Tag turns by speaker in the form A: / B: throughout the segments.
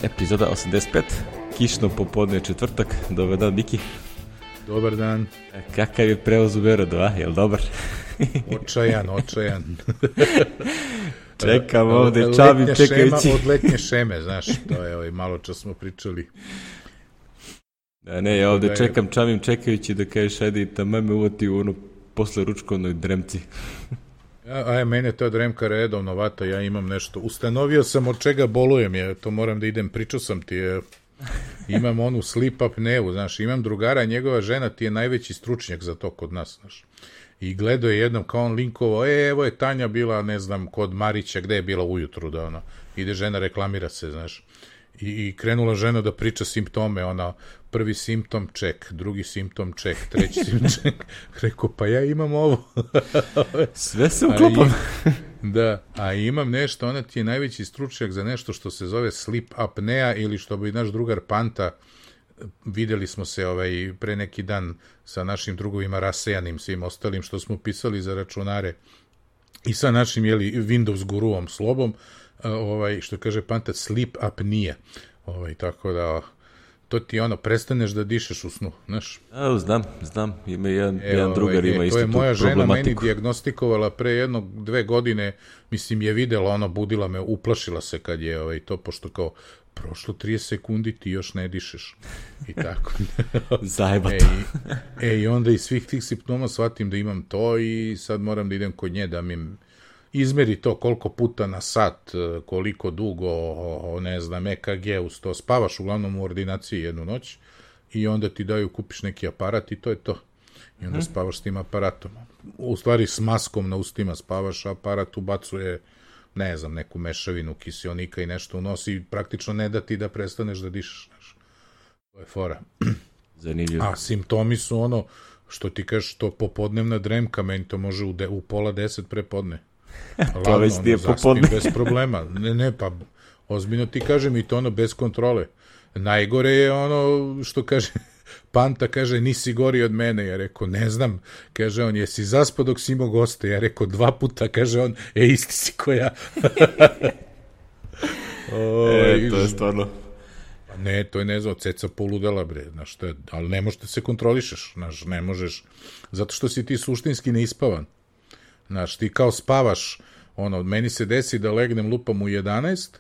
A: Epizoda 85, kišno popodne četvrtak, dobar dan Miki.
B: Dobar dan.
A: Kakav je prevoz u Berodu, jel dobar?
B: Očajan.
A: Čekam ovde, čavim čekajući.
B: Od letnje šeme, znaš, to je malo čas smo pričali.
A: Ne, ja ovde čekam, čavim čekajući da kažeš, ajde, tamo me uvati u ono posle ručkovnoj dremci.
B: Mene ta dremka redovno vata, ja imam nešto. Ustanovio sam od čega bolujem, ja to moram da idem, pričao sam ti, imam onu sleep apneu, znaš, imam drugara, njegova žena ti je najveći stručnjak za to kod nas, znaš. I gledao je jednom kao on linkovo, evo je Tanja bila, ne znam, kod Marića, gde je bila ujutru, da ona, ide žena, reklamira se, znaš. I krenula žena da priča simptome, ona, prvi simptom ček, drugi simptom ček, treći simptom ček. Rekao, pa ja imam ovo.
A: Sve se uklopam.
B: Da, a imam nešto, ona ti je najveći stručnjak za nešto što se zove sleep apnea ili što bi naš drugar Panta, videli smo se pre neki dan sa našim drugovima rasejanim, svim ostalim što smo pisali za računare i sa našim, Windows guruom Slobom, što kaže Panta, sleep apnea. Tako da, to ti prestaneš da dišeš u snu, znaš?
A: Znam, ima jedan drugar ima isto tu problematiku.
B: To je moja žena meni dijagnostikovala pre 1-2 godine, mislim je videla, budila me, uplašila se kad je to, pošto kao, prošlo 30 sekundi, ti još ne dišeš. I tako.
A: Zajebato.
B: I onda iz svih tih simptoma shvatim da imam to i sad moram da idem kod nje da mi izmeri to koliko puta na sat, koliko dugo, ne znam, EKG uz to. Spavaš uglavnom u ordinaciji jednu noć i onda ti daju, kupiš neki aparat i to je to. I onda spavaš s tim aparatom. U stvari s maskom na ustima spavaš, aparat ubacuje, ne znam, neku mešavinu kiseonika i nešto unosi i praktično ne da ti da prestaneš da dišeš. Znaš. To je fora.
A: Zanimljivo.
B: A simptomi su što ti kažeš, to popodnevna dremka, meni to može u 9:30 prepodne.
A: To već ti je popodne.
B: Bez problema. Ne, pa ozbiljno ti kažem i to bez kontrole. Najgore je što kaže Panta, kaže, nisi gori od mene. Ja rekao, ne znam. Kaže on, jesi zaspao dok si imao goste? Ja rekao, 2 puta. Kaže on, isti si ko ja.
A: To je stvarno.
B: Ne, to je ne znam, ceca poludela, bre. Znaš, ali ne možeš da se kontrolišeš. Znaš, ne možeš. Zato što si ti suštinski neispavan. Znaš, ti kao spavaš, meni se desi da legnem lupam u 11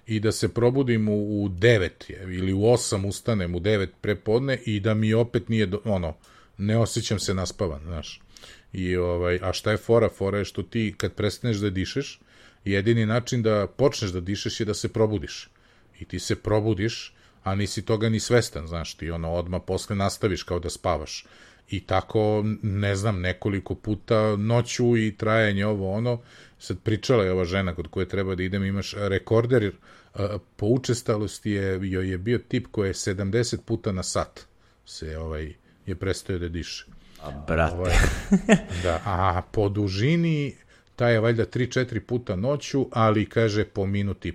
B: i da se probudim u 9 ili u 8 ustanem u 9 prepodne i da mi opet nije, ne osjećam se naspavan, znaš. A šta je fora? Fora je što ti kad prestaneš da dišeš, jedini način da počneš da dišeš je da se probudiš. I ti se probudiš, a nisi toga ni svestan, znaš, ti odmah posle nastaviš kao da spavaš. I tako, ne znam, nekoliko puta noću i trajanje sad pričala je ova žena kod koje treba da idem, imaš rekorder, po učestalosti joj je bio tip koji je 70 puta na sat je prestao da diše.
A: A brate.
B: Da, a po dužini taj je valjda 3-4 puta noću, ali kaže po minut i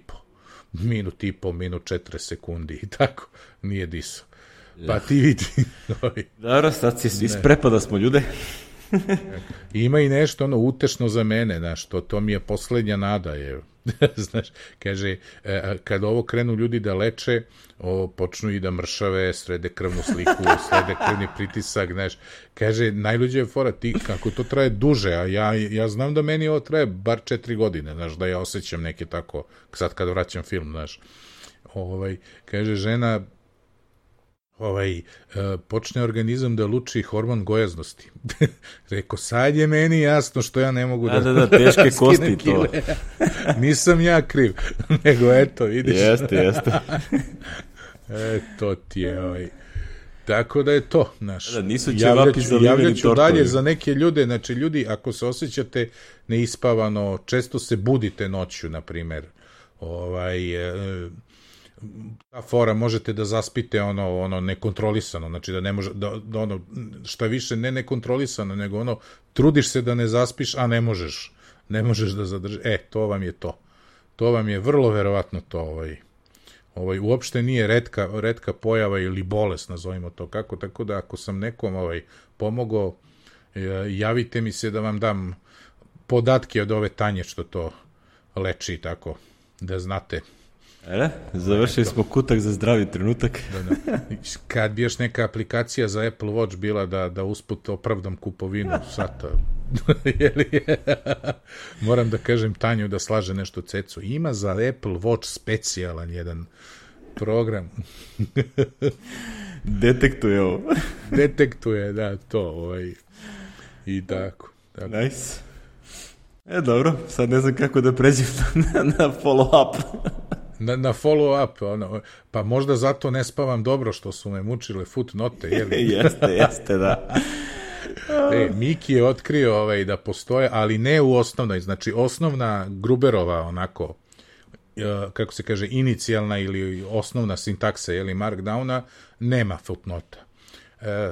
B: po, minut 40 sekundi i tako, nije disao. Pa ti vidi.
A: Dobro, sad isprepada smo ljude.
B: Ima i nešto utešno za mene, znaš, to mi je poslednja nada, znaš, kaže, kad ovo krenu ljudi da leče, počnu i da mršave, srede krvnu sliku, srede krvni pritisak, znaš, kaže, najluđe je fora, ti, kako to traje duže, a ja znam da meni ovo traje bar 4 godine, znaš, da ja osjećam neke tako, sad kad vraćam film, znaš, kaže, žena, počne organizam da luči hormon gojaznosti. Rekao, sad je meni jasno što ja ne mogu
A: da teške kosti to.
B: Nisam ja kriv, nego eto, vidiš.
A: Jeste.
B: Eto ti je, tako da je to, znaš.
A: Nisu ćevapi zaliveni tortovi.
B: Dalje za neke ljude, znači ljudi, ako se osjećate neispavano, često se budite noću, na primer, ta fora, možete da zaspite nekontrolisano, znači da ne može, šta više ne nekontrolisano, nego trudiš se da ne zaspiš, a ne možeš da zadržiš, to vam je to. To vam je vrlo verovatno to, uopšte nije retka pojava ili bolest, nazovimo to kako, tako da ako sam nekom pomogao, javite mi se da vam dam podatke od ove Tanje što to leči, tako, da znate.
A: Završili smo kutak za zdravi trenutak.
B: Kad bi još neka aplikacija za Apple Watch bila da usput opravdam kupovinu sata, moram da kažem Tanju da slaže nešto cecu. Ima za Apple Watch specijalan jedan program.
A: Detektuje ovo.
B: Detektuje, da, to. I tako.
A: Nice. Dobro, sad ne znam kako da pređem na follow-up.
B: Na follow-up, pa možda zato ne spavam dobro što su me mučile footnote,
A: Jeste, da.
B: Miki je otkrio da postoje, ali ne u osnovnoj, znači osnovna Gruberova, onako, kako se kaže, inicijalna ili osnovna sintaksa, Markdowna, nema footnota.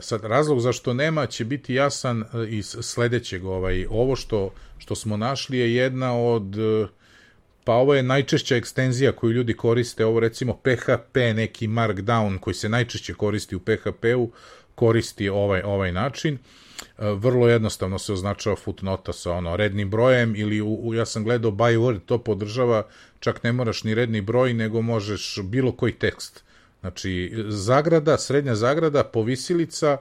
B: Sad, razlog zašto nema će biti jasan iz sledećeg. Ovo što smo našli je jedna od, pa ovo je najčešća ekstenzija koju ljudi koriste, ovo recimo PHP, neki Markdown koji se najčešće koristi u PHP-u, koristi ovaj način. Vrlo jednostavno se označava footnota sa rednim brojem ili ja sam gledao by word, to podržava, čak ne moraš ni redni broj, nego možeš bilo koji tekst. Znači, zagrada, srednja zagrada, povisilica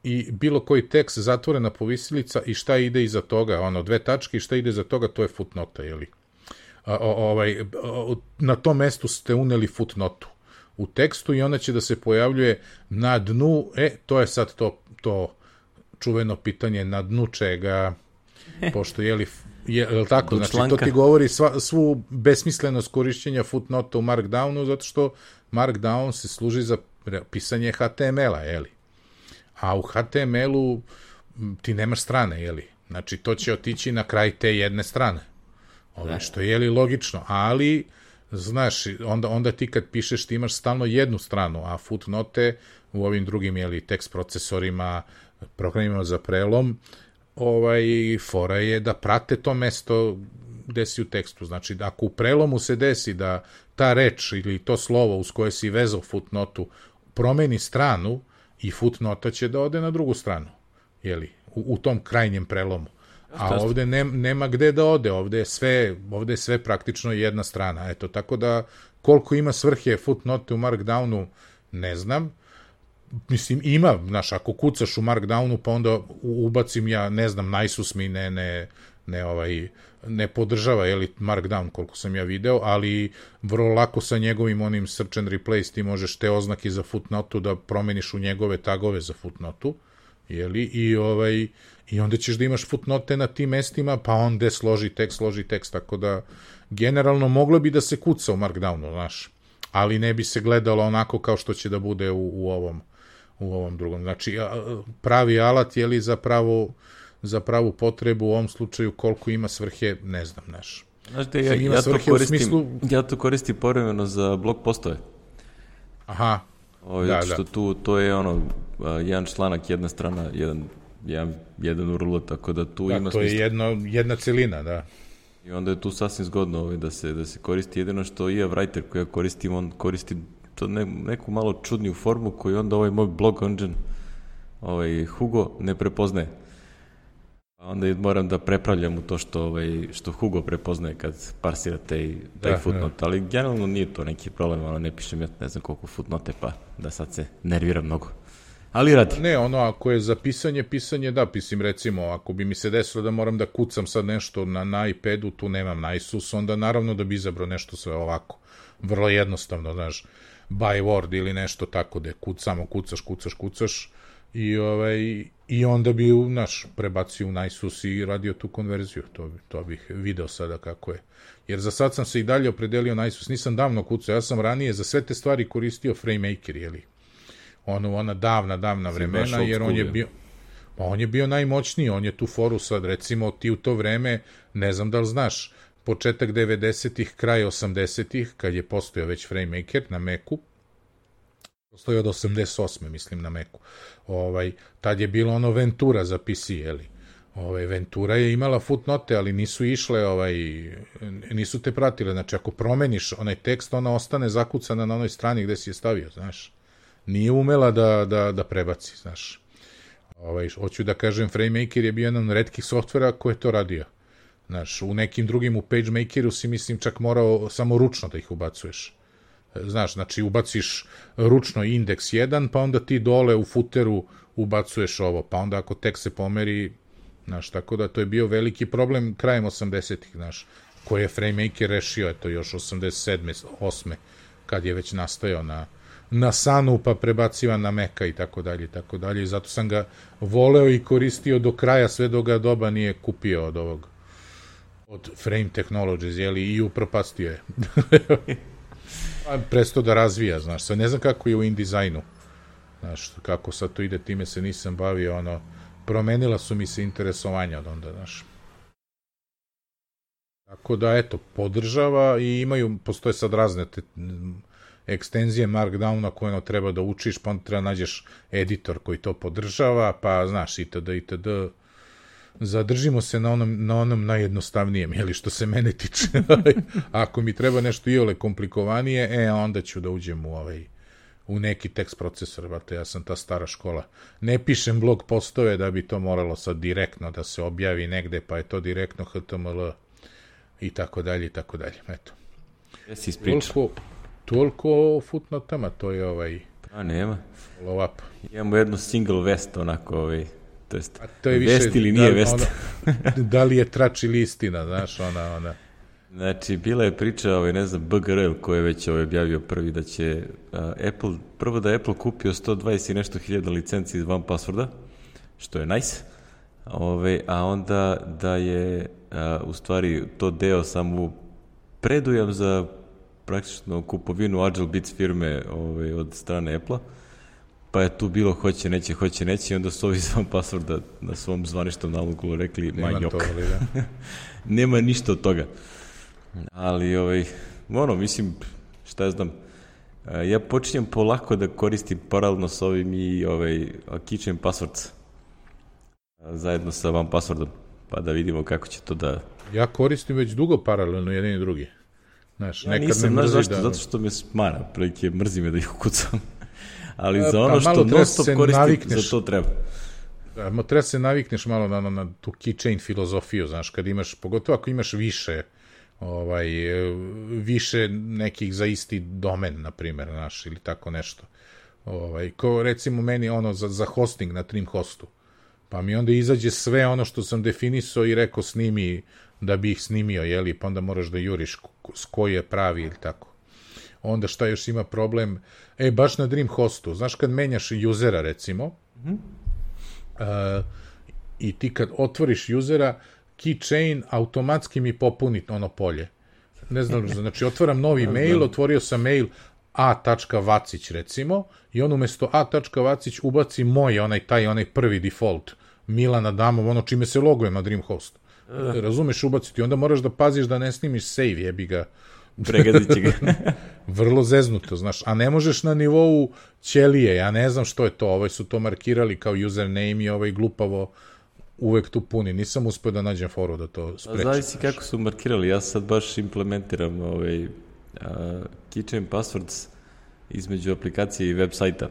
B: i bilo koji tekst, zatvorena povisilica i šta ide iza toga, dve tačke i šta ide iza toga, to je footnota, na tom mestu ste uneli footnotu u tekstu i ona će da se pojavljuje na dnu, to je sad to čuveno pitanje na dnu čega, pošto je tako, znači to ti govori svu besmislenost korišćenja footnota u Markdownu, zato što Markdown se služi za pisanje HTML-a, a u HTML-u ti nemaš strane, znači to će otići na kraj te jedne strane, što je logično, ali znaš, onda ti kad pišeš ti imaš stalno jednu stranu, a footnote u ovim drugim tekst procesorima, programima za prelom, fora je da prate to mesto gde si u tekstu. Znači, ako u prelomu se desi da ta reč ili to slovo uz koje si vezao footnotu promeni stranu i footnota će da ode na drugu stranu, u tom krajnjem prelomu. A ovde nema gde da ode, ovde je sve praktično jedna strana. Eto, tako da koliko ima svrhe footnote u Markdownu, ne znam. Mislim, ima, znaš, ako kucaš u Markdownu, pa onda ubacim ja, ne znam, Naissus mi ne podržava, Markdown, koliko sam ja video, ali vrlo lako sa njegovim onim search and replace ti možeš te oznake za footnotu da promeniš u njegove tagove za footnotu, i onda ćeš da imaš footnote na tim mestima, pa onda složi tekst, tako da generalno moglo bi da se kuca u Markdownu, znaš, ali ne bi se gledalo onako kao što će da bude u ovom drugom. Znači, pravi alat za pravu potrebu u ovom slučaju koliko ima svrhe, ne znam, znaš.
A: Znaš te, ja to koristim povremeno za blog postove.
B: Aha.
A: Što tu, to je jedan članak, jedna strana, jedan URL, tako da tu ima
B: smisla. To je jedna celina, da.
A: I onda je tu sasvim zgodno da se koristi. Jedino što EF Writer koji ja koristim, on koristi to neku malo čudniju formu koju onda moj blog engine Hugo ne prepoznaje. Onda moram da prepravljam u to što Hugo prepoznaje kad parsira taj footnote, ali generalno nije to neki problem, ne pišem ja ne znam koliko footnote, pa da sad se nervira mnogo. Ali radi.
B: Ne, ako je za pisanje, da, pisim recimo, ako bi mi se desilo da moram da kucam sad nešto na iPadu, tu nemam Naissus, onda naravno da bi izabrao nešto sve ovako. Vrlo jednostavno, znaš, by word ili nešto tako da samo kucaš i onda bi, znaš, prebacio u Naissus i radio tu konverziju. To bih video sada kako je. Jer za sad sam se i dalje opredelio Naissus, nisam davno kucao, ja sam ranije za sve te stvari koristio FrameMaker, ona davna vremena, jer on je bio najmoćniji, on je tu foru sad, recimo ti u to vreme, ne znam da li znaš, početak 90-ih, kraj 80-ih, kad je postojao već FrameMaker na Macu, postoji od 88. mislim na Macu, tad je bilo Ventura za PC, Ventura je imala footnote, ali nisu išle, nisu te pratile, znači ako promeniš onaj tekst, ona ostane zakucana na onoj strani gde si je stavio, znaš. Nije umela da prebaci, znaš. Hoću da kažem, FrameMaker je bio jedan od retkih softvera koji je to radio. Znaš, u nekim drugim, u PageMakeru si, mislim, čak morao samo ručno da ih ubacuješ. znaš, znači ubaciš ručno indeks 1, pa onda ti dole u footeru ubacuješ ovo, pa onda ako tek se pomeri, znaš, tako da to je bio veliki problem krajem 80-ih, znaš, koje je FrameMaker rešio, eto, još 87. 8. kad je već nastajao na Sunu, pa prebacivan na Maca i tako dalje, i tako dalje, i zato sam ga voleo i koristio do kraja, sve dok ga doba nije kupio od Frame Technologies, jeli, i upropastio je. Presto da razvija, znaš, sve ne znam kako je u InDesignu, znaš, kako sad to ide, time se nisam bavio, promenila su mi se interesovanja od onda, znaš. Tako da, eto, podržava i postoje sad razne ekstenzije Markdowna koje treba da učiš, pa onda treba nađeš editor koji to podržava, pa, znaš, itd. Zadržimo se na onom najjednostavnijem, jeli, što se mene tiče. Ako mi treba nešto iole komplikovanije, onda ću da uđem u neki tekst procesor, brate, ja sam ta stara škola. Ne pišem blog postove da bi to moralo sad direktno da se objavi negde, pa je to direktno HTML i tako dalje, i tako dalje. Eto.
A: Jesi ispričao.
B: Toliko o footnotama, to je
A: nema.
B: Follow up.
A: Imamo jednu single vest, onako,
B: to je
A: vest ili nije vest.
B: Da li je trač ili istina, znaš, ona.
A: Znači, bila je priča, ne znam, BGRL koji je već objavio prvi da će prvo da je Apple kupio 120 i nešto hiljada licenci iz OnePassworda, što je nice, a onda da je u stvari to deo samo predujam za praktično kupovinu AgileBits firme od strane Apple-a, pa je tu bilo hoće, neće, i onda su ovi iz OnePassworda na svom zvaničnom nalogu rekli majok. Nema ništa od toga. Ali, mislim, šta ja znam, ja počinjem polako da koristim paralelno s ovim i Keychain Passwords zajedno sa OnePasswordom, pa da vidimo kako će to da...
B: Ja koristim već dugo paralelno jedan i drugi. Znaš,
A: ja nisam, znaš zašto? Zato što me smara, prilike mrzi me da ih ukucam. Ali za ono što non-stop koristim, za to treba.
B: Treba se navikneš malo na tu keychain filozofiju, znaš, kad imaš, pogotovo ako imaš više nekih za isti domen, na primjer, znaš, ili tako nešto. Ko recimo meni za hosting na Trimhostu, pa mi onda izađe sve ono što sam definisao i rekao snimi da bi ih snimio, jeli, pa onda moraš da juriš s koji je pravi ili tako. Onda šta još ima problem? Baš na Dreamhostu, znaš kad menjaš usera, recimo, i ti kad otvoriš usera, keychain automatski mi popuni ono polje. Ne znam, znači otvaram novi mail, otvorio sam mail a.vacić, recimo, i on umesto a.vacić ubaci onaj prvi default, Milan Adamov, ono čime se logujem na Dreamhost. Razumeš, ubaciti, onda moraš da paziš da ne snimiš save, jebi ga.
A: Pregazit će ga.
B: Vrlo zeznuto, znaš, a ne možeš na nivou ćelije, ja ne znam što je to, su to markirali kao username i glupavo uvek tu puni, nisam uspio da nađem foru da to sprečim.
A: Zavisi kako su markirali, ja sad baš implementiram Keychain Passwords između aplikacije i web sajta,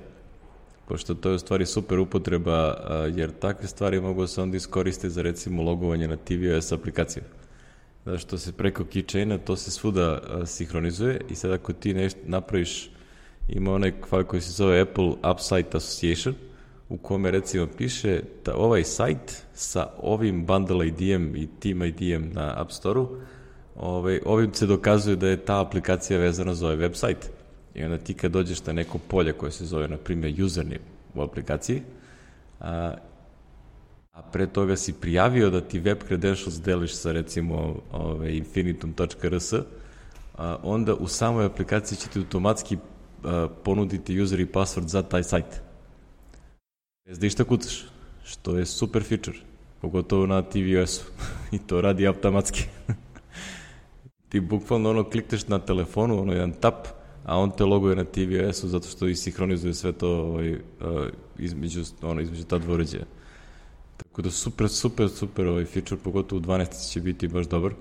A: pošto to je u stvari super upotreba, jer takve stvari mogu se onda iskoristiti za recimo logovanje na tvOS aplikaciju. Zato što se preko keychaina to se svuda sinhronizuje i sad ako ti nešto napraviš, ima onaj file koji se zove Apple App Site Association, u kome recimo piše da ovaj sajt sa ovim bundle ID-em i team ID-em na App Store-u, ovim se dokazuje da je ta aplikacija vezana za ovaj web sajt. I onda ti kad dođeš na neko polje koje se zove, na primjer, username u aplikaciji, a pre toga si prijavio da ti web credentials deliš sa recimo infinitum.rs, onda u samoj aplikaciji će ti automatski ponuditi user i password za taj sajt. Bez da išta kucaš, što je super feature, pogotovo na tvOS-u i to radi automatski. Ti bukvalno klikneš na telefonu, jedan tap, a on te loguje na tvOS-u zato što i sinhronizuje sve to između ta dva uređaja. Tako da super feature, pogotovo u 12 će biti baš dobar.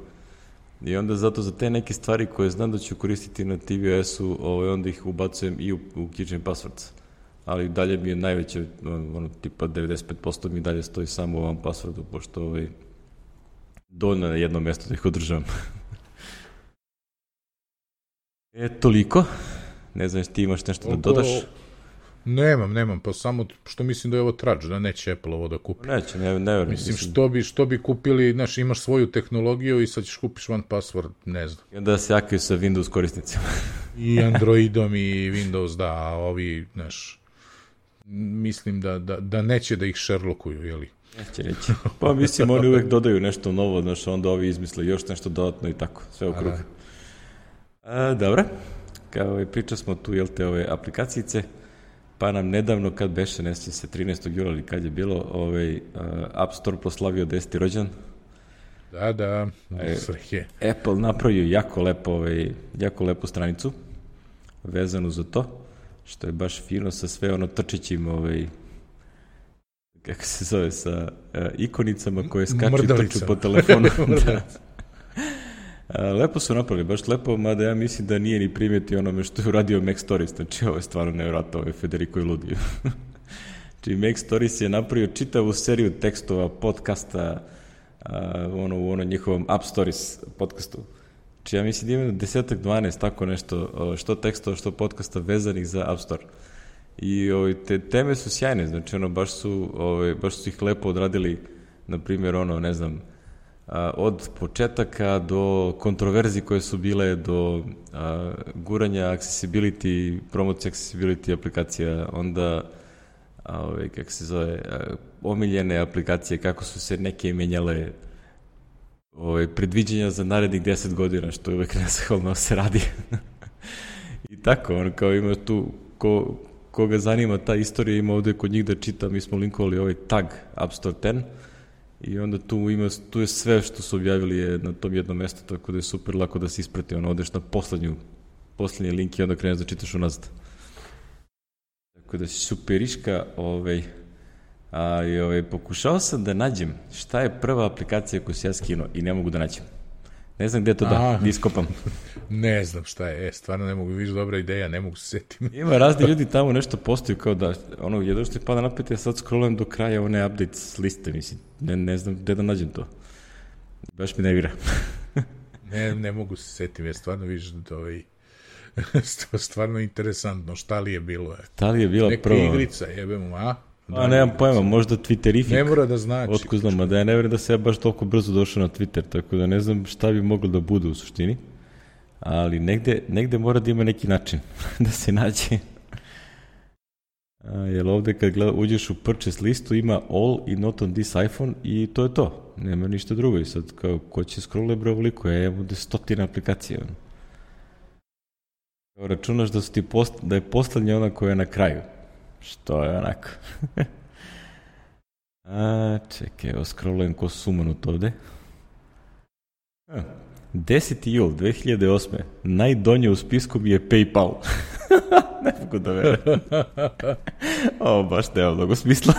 A: I onda zato za te neke stvari koje znam da ću koristiti na tvOS-u, onda ih ubacujem i u Keychain Passwords. Ali dalje mi je najveće, tipa 95% mi dalje stoji samo u ovom passwordu, pošto dovoljno na jedno mjesto da ih održavam. Toliko. Ne znam, ti imaš nešto da dodaš?
B: Nemam, pa samo što mislim da je ovo trač, da neće Apple ovo da kupi.
A: Neće, ne verujem.
B: Mislim, što bi kupili, znaš, imaš svoju tehnologiju i sad ćeš kupiš one password, ne znam.
A: I onda se jakaju sa Windows korisnicima.
B: I Androidom i Windows, da, a ovi, znaš, mislim da neće da ih Sherlockuju, jeli?
A: Neće. Pa mislim, oni uvek dodaju nešto novo, znaš, onda ovi izmisle još nešto dodatno i tako, sve u krug. Dobro, kao priča smo tu, jel te, ove aplikacijice, pa nam nedavno, kad beše, ne sjećam se, 13. jula ili kad je bilo, App Store proslavio 10. rođendan.
B: Da,
A: Apple napravio jako lepu stranicu vezanu za to, što je baš fino sa sve ono trčićim, kako se zove, sa ikonicama koje skaču i trču po telefonu. Lepo su napravili, baš lepo, mada ja mislim da nije ni primjetio onome što je uradio Mac Stories, znači ovo je stvarno nevjerojatno, Federico je ludio. Znači Mac Stories je napravio čitavu seriju tekstova, podcasta, u njihovom App Stories podcastu. Znači ja mislim da ima 10-12 tako nešto, što tekstova, što podcasta vezanih za App Store. I te teme su sjajne, znači baš su ih lepo odradili, na primjer, ne znam, od početaka do kontroverzi koje su bile, do guranja accessibility, promocije accessibility aplikacija, onda kako se zove, omiljene aplikacije, kako su se neke menjale, predviđenja za narednih 10 godina, što je uvek nezahvalno se radi. I tako, kao ima tu, koga zanima ta istorija, ima ovde kod njih da čita, mi smo linkovali ovaj tag App Store 10, i onda tu je sve što su objavili je na tom jednom mjestu, tako da je super lako da se isprati, odeš na poslednji link i onda kreneš da čitaš unazad. Tako da si superiška, pokušao sam da nađem šta je prva aplikacija koju si ja skinuo i ne mogu da nađem. Ne znam gde to da iskopam.
B: Ne znam šta je, stvarno ne mogu, viš dobra ideja, ne mogu se setim.
A: Ima razni ljudi tamo nešto postaju kao da, jedno što je pada napet, ja sad scrollujem do kraja one updates liste, mislim, ne znam gde da nađem to. Baš mi ne vira.
B: Ne mogu se setim, ja stvarno viš da stvarno interesantno, šta li je bilo?
A: Šta li je bila prva?
B: Neka igrica, jebemo, a?
A: Nemam pojma, možda Twitterifik.
B: Ne mora da znači.
A: Otko znam, a da ja ne vjerujem da se ja baš toliko brzo došao na Twitter, tako da ne znam šta bi moglo da bude u suštini, ali negde mora da ima neki način da se nađe. Jer ovde kad uđeš u purchase listu ima all i not on this iPhone i to je to. Nema ništa drugo i sad kao ko će scrolle bre ovoliko, ja imam ovde 100 aplikacija. Računaš da je poslednja ona koja je na kraju. Što je onako. Čekaj, evo scrollujem ko sumanut ovde. 10. jul 2008. Najdonje u spisku mi je PayPal. Ne mogu da verujem. Ovo baš nema mnogo smisla.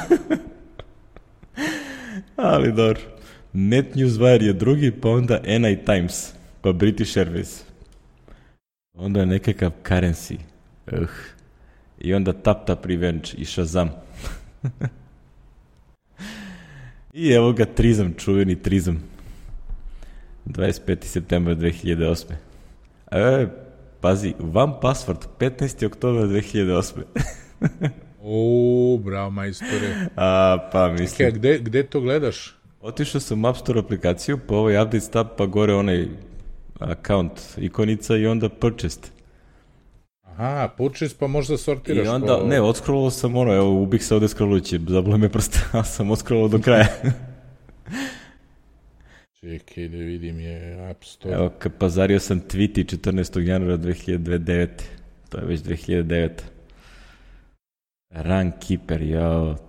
A: Ali dobro. NetNewsWire je drugi, pa onda NI Times, pa British Airways. Onda je nekakav currency. I onda Tap Revenge i Shazam. I evo ga Trizam, čuveni Trizam. 25. september 2008. Pazi, One Password, 15. oktober 2008.
B: Bravo majstore.
A: Pa mislim.
B: Gde to gledaš?
A: Otišao sam u App Store aplikaciju, pa ovaj update tab, pa gore onaj account ikonica i onda purchased.
B: Aha, purchase pa možda sortiraš.
A: I onda, ne, odscrollovao sam evo, ubih se ovde scrollujući, zabole me prsta, a sam odscrollovao do kraja.
B: Čekaj da vidim je App Store.
A: Evo, pazario sam tweety 14. januara 2009. To je već 2009. Runkeeper,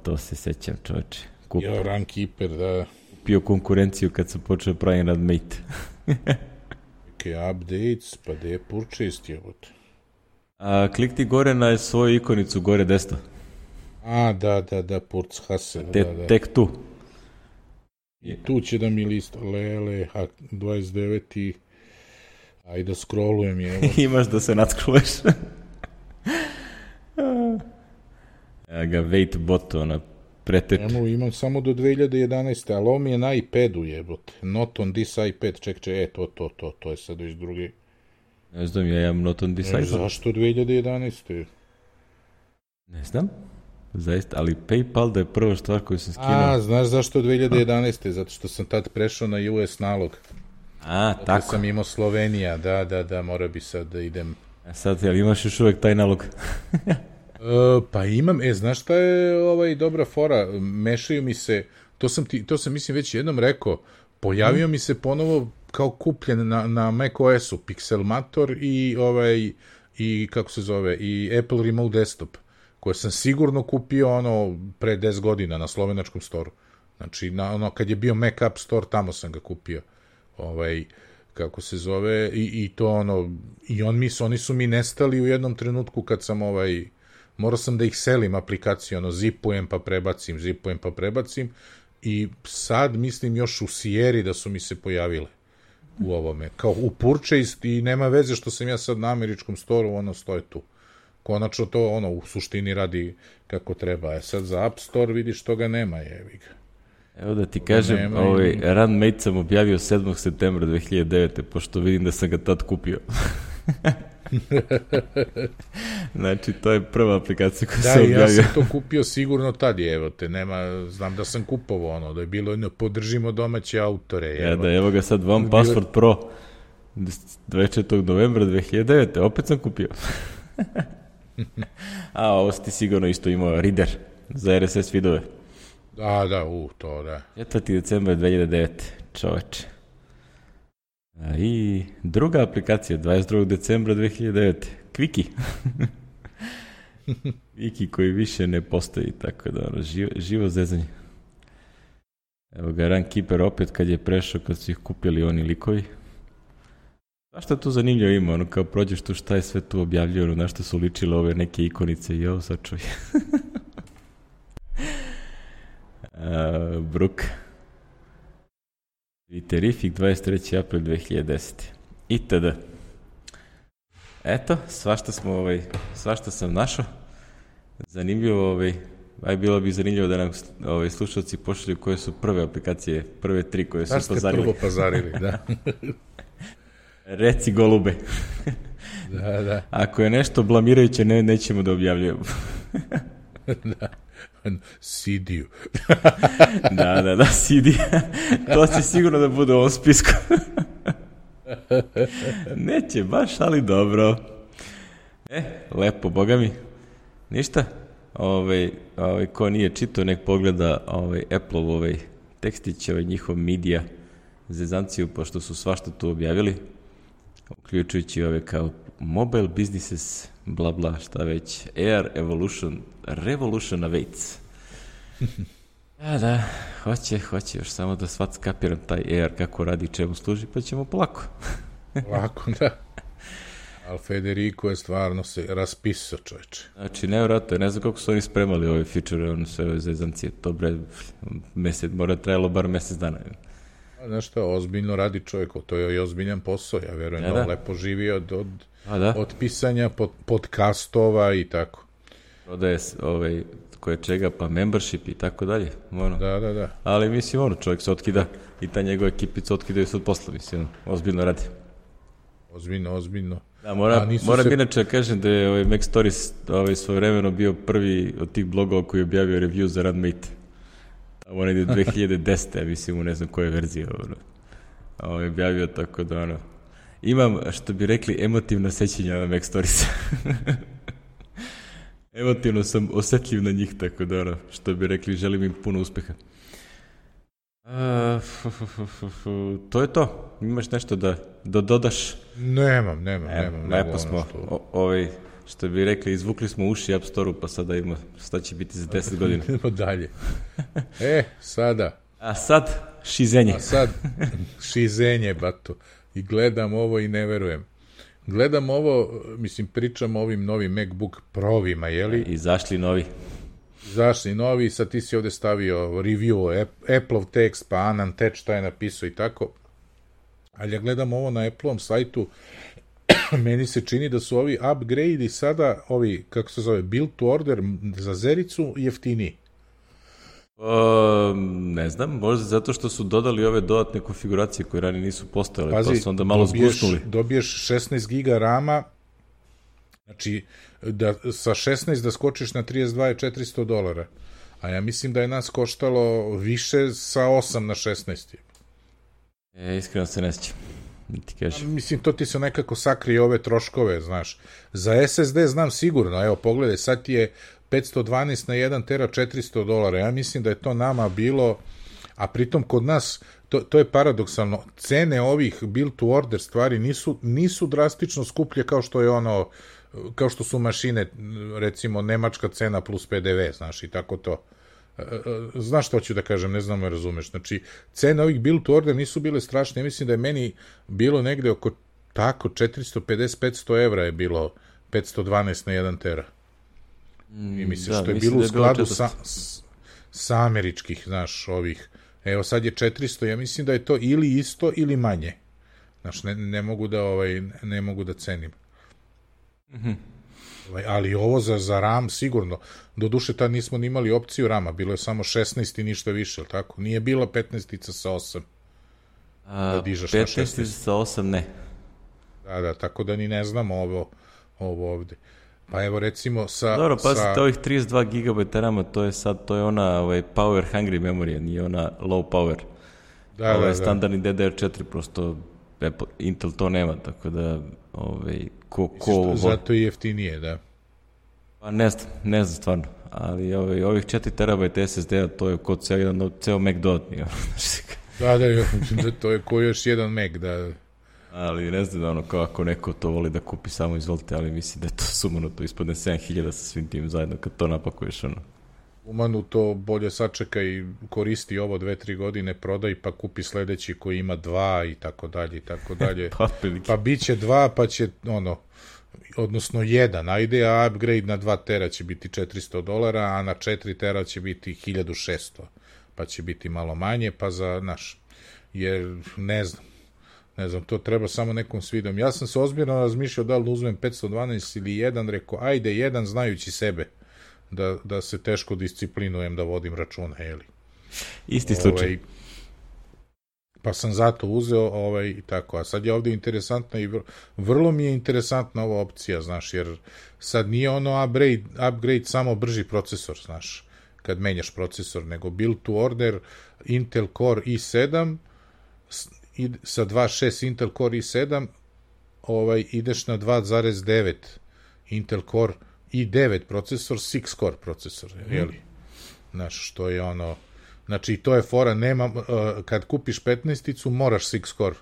A: to se sećam, čoveče.
B: Runkeeper, da.
A: Kupio konkurenciju kad sam počeo pravim Radmate.
B: Čekaj, updates, pa gde je purchased je ovdje?
A: Klikni gore na svoju ikonicu, gore desno.
B: Da, Purchase.
A: Tek tu.
B: I tu će da mi lista, 29. Ajde, scrollujem je.
A: Imaš da se nadscrolluješ. Evo ga, wait bot, pretet.
B: Imam samo do 2011. Ali ovo mi je na iPadu jebote. Not on this iPad, čekaj, to je sad već drugi.
A: Ne znam, ja imam Not Undecided.
B: Zašto 2011.
A: Ne znam, zaista, ali PayPal da je prva stvar koju sam skinuo.
B: A, znaš zašto 2011. Zato što sam tad prešao na US nalog.
A: A,
B: Zato
A: tako.
B: sam imao Slovenija, da, mora bi sad da idem.
A: A sad, jel imaš još uvek taj nalog?
B: Pa imam, znaš šta je dobra fora, mešaju mi se, to sam mislim već jednom rekao, pojavio mi se ponovo kao kupljen na macOS-u, Pixelmator i kako se zove, i Apple Remote Desktop, koje sam sigurno kupio pre 10 godina na slovenačkom storu. Znači, kad je bio Mac App Store, tamo sam ga kupio. Kako se zove, i to i oni su mi nestali u jednom trenutku kad sam morao sam da ih selim aplikaciju, zipujem pa prebacim i sad mislim još u Sierri da su mi se pojavile u ovome, kao u Purchase i nema veze što sam ja sad na američkom storu, stoje tu. Konačno to u suštini radi kako treba. Sad za App Store vidiš toga nema, jevi ga.
A: Evo da ti kažem, Runmate sam objavio 7. septembra 2009. pošto vidim da sam ga tad kupio. Znači, to je prva aplikacija koju sam objavio.
B: Da, ja sam to kupio sigurno tad, evo te, znam da sam kupovao da je bilo podržimo domaće autore.
A: Evo ga sad, One Password Pro 24. novembra 2009. Opet sam kupio. A, ovo si ti sigurno isto imao Reader za RSS feedove.
B: To da.
A: 4. decembra 2009. Čoveče. I druga aplikacija, 22. decembra 2009. Quickie. Quickie koji više ne postoji, tako da živo zezanje. Evo ga Runkeeper opet kad je prešao, kad su ih kupili oni likovi. Zašto je tu zanimljivo ima? Kao prođeš tu šta je sve tu objavljeno, na što su ličile ove neke ikonice i ovo sad čuj. Brook. Terrific 23. april 2010. Itd. Eto, svašta sam našao. Zanimljivo, bilo bi zanimljivo da nam slušalci pošalju koje su prve aplikacije, prve 3 koje su pazarili.
B: Prvo pazarili, da.
A: Reci golube.
B: Da.
A: Ako je nešto blamirajuće, nećemo da objavljujemo.
B: Da. CD-u.
A: Da, CD. To će sigurno da bude u ovom spisku. Neće baš, ali dobro. Lepo, boga mi. Ništa. Ko nije čitao, nek pogleda Apple-ov tekstić, njihov media zezanciju, pošto su svašta tu objavili, uključujući kao mobile businesses, bla bla, šta već, Air Revolution awaits. Da, hoće još samo da kapiram taj Air, kako radi, čemu služi, pa ćemo polako.
B: Lako, da. Ali Federico je stvarno se raspisao, čoveče.
A: Znači, nevjerojatno, ne znam kako su oni spremali ove feature, sve ove zezancije, to mora trajalo bar mesec dana.
B: Znaš šta, ozbiljno radi čovjek, to je i ozbiljan posao, ja verujem da on lepo živi od pisanja podcastova i tako.
A: Prodaje koje čega, pa membership i tako dalje.
B: Da.
A: Ali mislim, čovjek se otkida i ta njegova ekipica otkidaju se od posla, mislim, ozbiljno radi.
B: Ozbiljno.
A: Da, moram inače kažem da je Mac Stories svojevremeno bio prvi od tih blogova koji je objavio review za Runmate. Ono ide 2010. Ja mislim, ne znam koje verzije je objavio, tako da imam, što bi rekli, emotivna sećanja na Mac Stories. Emotivno sam osetljiv na njih, tako da što bi rekli, želim im puno uspeha. To je to. Imaš nešto da dodaš?
B: Nemam.
A: Lepo smo. Što bi rekli, izvukli smo uši App Store-u, pa sada ima šta će biti za 10 godina.
B: Idemo dalje. Sada.
A: A sad, šizenje.
B: Šizenje, bato. I gledam ovo i ne verujem. Gledam ovo, mislim, pričam o ovim novim MacBook Pro-vima, jeli?
A: Izašli novi,
B: sad ti si ovde stavio review, Apple-ov tekst, pa Anand Tech šta je napisao i tako. Ali ja gledam ovo na Apple-om sajtu, meni se čini da su ovi upgrade-i sada, ovi, kako se zove, build to order za Zericu jeftiniji.
A: Ne znam, možda zato što su dodali ove dodatne konfiguracije koje ranije nisu postojale,
B: Pazi,
A: pa su onda malo zgusnuli.
B: Dobiješ 16 giga rama, znači da sa 16 da skočiš na 32 je $400, a ja mislim da je nas koštalo više sa 8 na 16.
A: Iskreno se ne sjećam.
B: Mislim, to ti se nekako sakrije ove troškove, znaš. Za SSD znam sigurno, evo pogledaj, sad ti je 512 na 1 tera $400. Ja mislim da je to nama bilo, a pritom kod nas, to je paradoksalno, cene ovih build to order stvari nisu drastično skuplje kao što je ono, kao što su mašine, recimo, nemačka cena plus PDV, znaš, i tako to. Znaš što ću da kažem, ne znam me razumeš. Znači, cene ovih build to order nisu bile strašne. Ja mislim da je meni bilo negde oko tako 450-500 evra je bilo 512 na 1 tera. I mislim što je bilo u skladu sa američkih, znaš, ovih. Evo sad je 400, ja mislim da je to ili isto ili manje. Znaš, ne mogu da cenim. Ali ovo za RAM sigurno. Doduše tad nismo ni imali opciju RAM-a, bilo je samo 16 i ništa više, ili tako? Nije bila 15-ica sa 8. Da dižaš na 16.
A: 15 sa 8 ne.
B: Da, tako da ni ne znamo ovo ovde. Pa evo recimo sa...
A: Dobro, pazite, ovih 32 GB RAM-a, to je ona power hungry memorija, nije ona low power. Ovo je standardni DDR4, prosto Intel to nema, tako da
B: zato i jeftinije, da.
A: Pa ne znam stvarno, ali ovih 4 terabajta SSD-a, to je kod ceo Mac dodatni.
B: Da, to je ko još jedan Mac, da.
A: Ali ne znam, kako neko to voli da kupi, samo izvolite, ali mislim da je to sumano, to ispadne 7000 sa svim tim zajedno, kad to napakuješ,
B: Umanu to bolje sačeka i koristi ovo 2-3 godine, prodaj pa kupi sledeći koji ima 2 i tako dalje i tako dalje. Pa bit će 2 pa će odnosno 1, ajde, a upgrade na 2 tera će biti $400, a na 4 tera će biti 1600, pa će biti malo manje, pa za jer ne znam, to treba samo nekom svidom. Ja sam se ozbiljno razmišljao da li uzmem 512 ili 1, rekao, ajde 1 znajući sebe. Da se teško disciplinujem da vodim računa, jeli.
A: Isti slučaj.
B: Pa sam zato uzeo i tako. A sad je ovde interesantna i vrlo mi je interesantna ova opcija, znaš, jer sad nije ono upgrade samo brži procesor, znaš, kad menjaš procesor, nego build to order Intel Core i7 sa 2.6 Intel Core i7 ideš na 2.9 Intel Core i9 procesor, 6 core procesor, jeli? Znaš, što je znači, to je fora, kad kupiš 15-icu, moraš 6 core,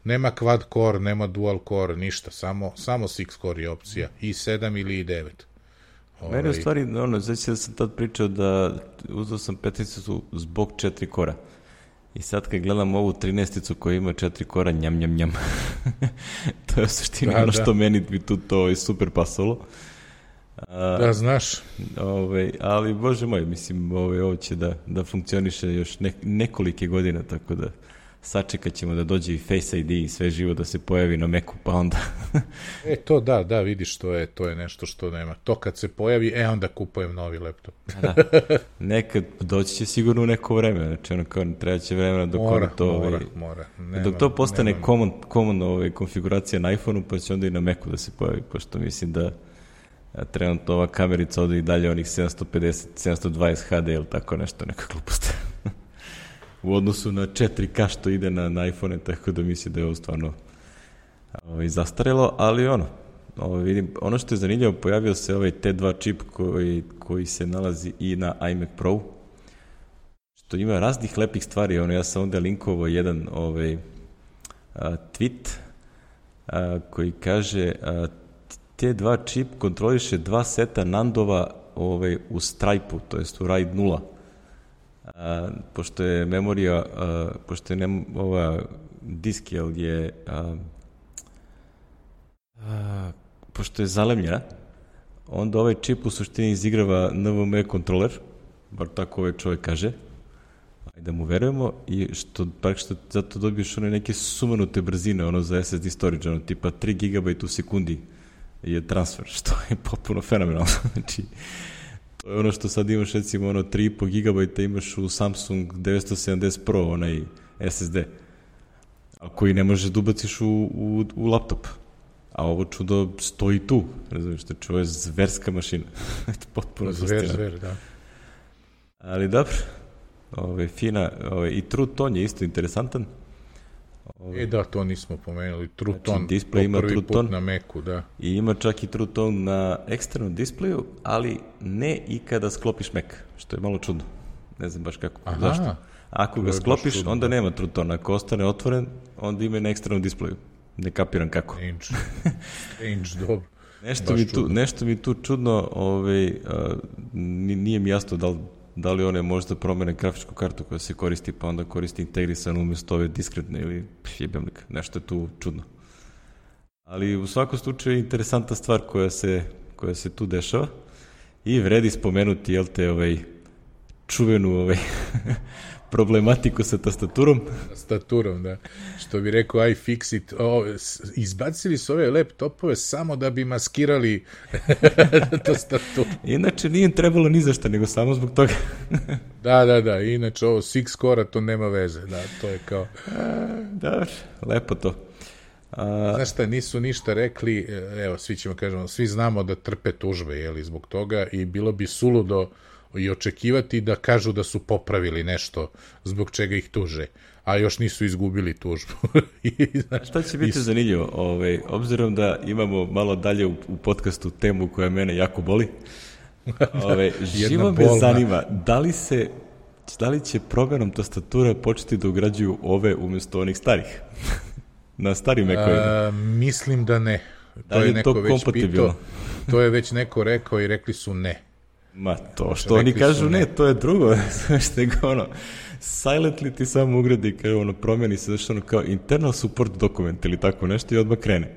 B: nema quad core, nema dual core, ništa, samo 6 core je opcija, i7 ili i9.
A: Meni u stvari, znači da sam tad pričao da uzeo sam 15-icu zbog 4 kora. I sad kad gledam ovu 13-icu koja ima 4 kora, njam. To je u suštini što meni bi tu to super pasalo.
B: Da, znaš.
A: Ali, bože moj, mislim, ovo će da funkcioniše još nekolike godine, tako da sačekat ćemo da dođe i Face ID i sve živo da se pojavi na Macu, pa onda...
B: To da, vidiš, to je nešto što nema. To kad se pojavi, onda kupujem novi laptop.
A: Da. Nekad doći će sigurno u neko vreme, znači treba će vremena dok
B: mora.
A: Dok to postane common konfiguracija na iPhone-u, pa će onda i na Macu da se pojavi, pošto mislim da trenutno ova kamerica ode i dalje onih 750, 720 HD ili tako nešto, neka glupost. U odnosu na 4K što ide na iPhone, tako da mislim da je ovo stvarno zastarelo, ali vidim, ono što je zanimljivo, pojavio se ovaj T2 čip koji se nalazi i na iMac Pro, što ima raznih lepih stvari, ja sam onda linkovao jedan tweet koji kaže T2 čip kontroliše 2 seta nandova u Stripe-u, to jest u RAID 0. Pošto je memorija, pošto je ova disk pošto je zalemljena, onda ovaj čip u suštini izigrava NVMe kontroler, bar tako ovaj čovjek kaže, ajde da mu verujemo, i što zato dobiješ neke sumanute brzine, za SSD storage, tipa 3 GB u sekundi je transfer, što je potpuno fenomenalno. Znači, To je ono što sad imaš, recimo, 3,5 GB imaš u Samsung 970 Pro, onaj SSD, a koji ne možeš da ubaciš u laptop. A ovo čudo stoji tu, razumiješ, znači ovo je zverska mašina. Potpuno
B: zver, da.
A: Ali dobro, fina, i True Tone je isto interesantan.
B: Da, to nismo pomenuli. True Tone,
A: display ima
B: prvi
A: True
B: put
A: Tone
B: na Macu, da.
A: I ima čak i True Tone na eksternom displeju, ali ne i kada sklopiš Mac, što je malo čudno. Ne znam baš kako.
B: Aha.
A: Zašto? Ako ga sklopiš, onda nema True Tone. Ako ostane otvoren, onda ima i na eksternom displeju. Ne kapiram kako.
B: Strange, dobro.
A: Nešto mi tu čudno, nije mi jasno da li one možda promene grafičku kartu koja se koristi, pa onda koristi integrisan umjesto ove diskretne ili jebemlik. Nešto je tu čudno. Ali u svakom slučaju je interesantna stvar koja se tu dešava i vredi spomenuti, jel te, čuvenu problematiku sa tastaturom.
B: Tastaturom, da. Što bi rekao iFixit, izbacili su ove laptopove samo da bi maskirali tastaturu.
A: Inače nije trebalo ni za šta, nego samo zbog toga.
B: Da, inače ovo Six Core, to nema veze, da, to je kao...
A: Da, lepo to.
B: Znaš šta, nisu ništa rekli, evo, svi znamo da trpe tužbe, jeli, zbog toga i bilo bi suludo i očekivati da kažu da su popravili nešto zbog čega ih tuže, a još nisu izgubili tužbu.
A: Šta će biti zanimljivo? Obzirom da imamo malo dalje u podcastu temu koja mene jako boli, živo me zanima da li će programom tastatura početi da ugrađuju ove umjesto onih starih? Na starim Mac-ovima?
B: Mislim da ne.
A: Da li je to kompatibilno?
B: To je već neko rekao i rekli su ne.
A: Ma to što oni kažu ne, to je drugo. Što je silently ti samo ugradi kao promjeni se zašto kao internal support dokument ili tako nešto i odmah krene.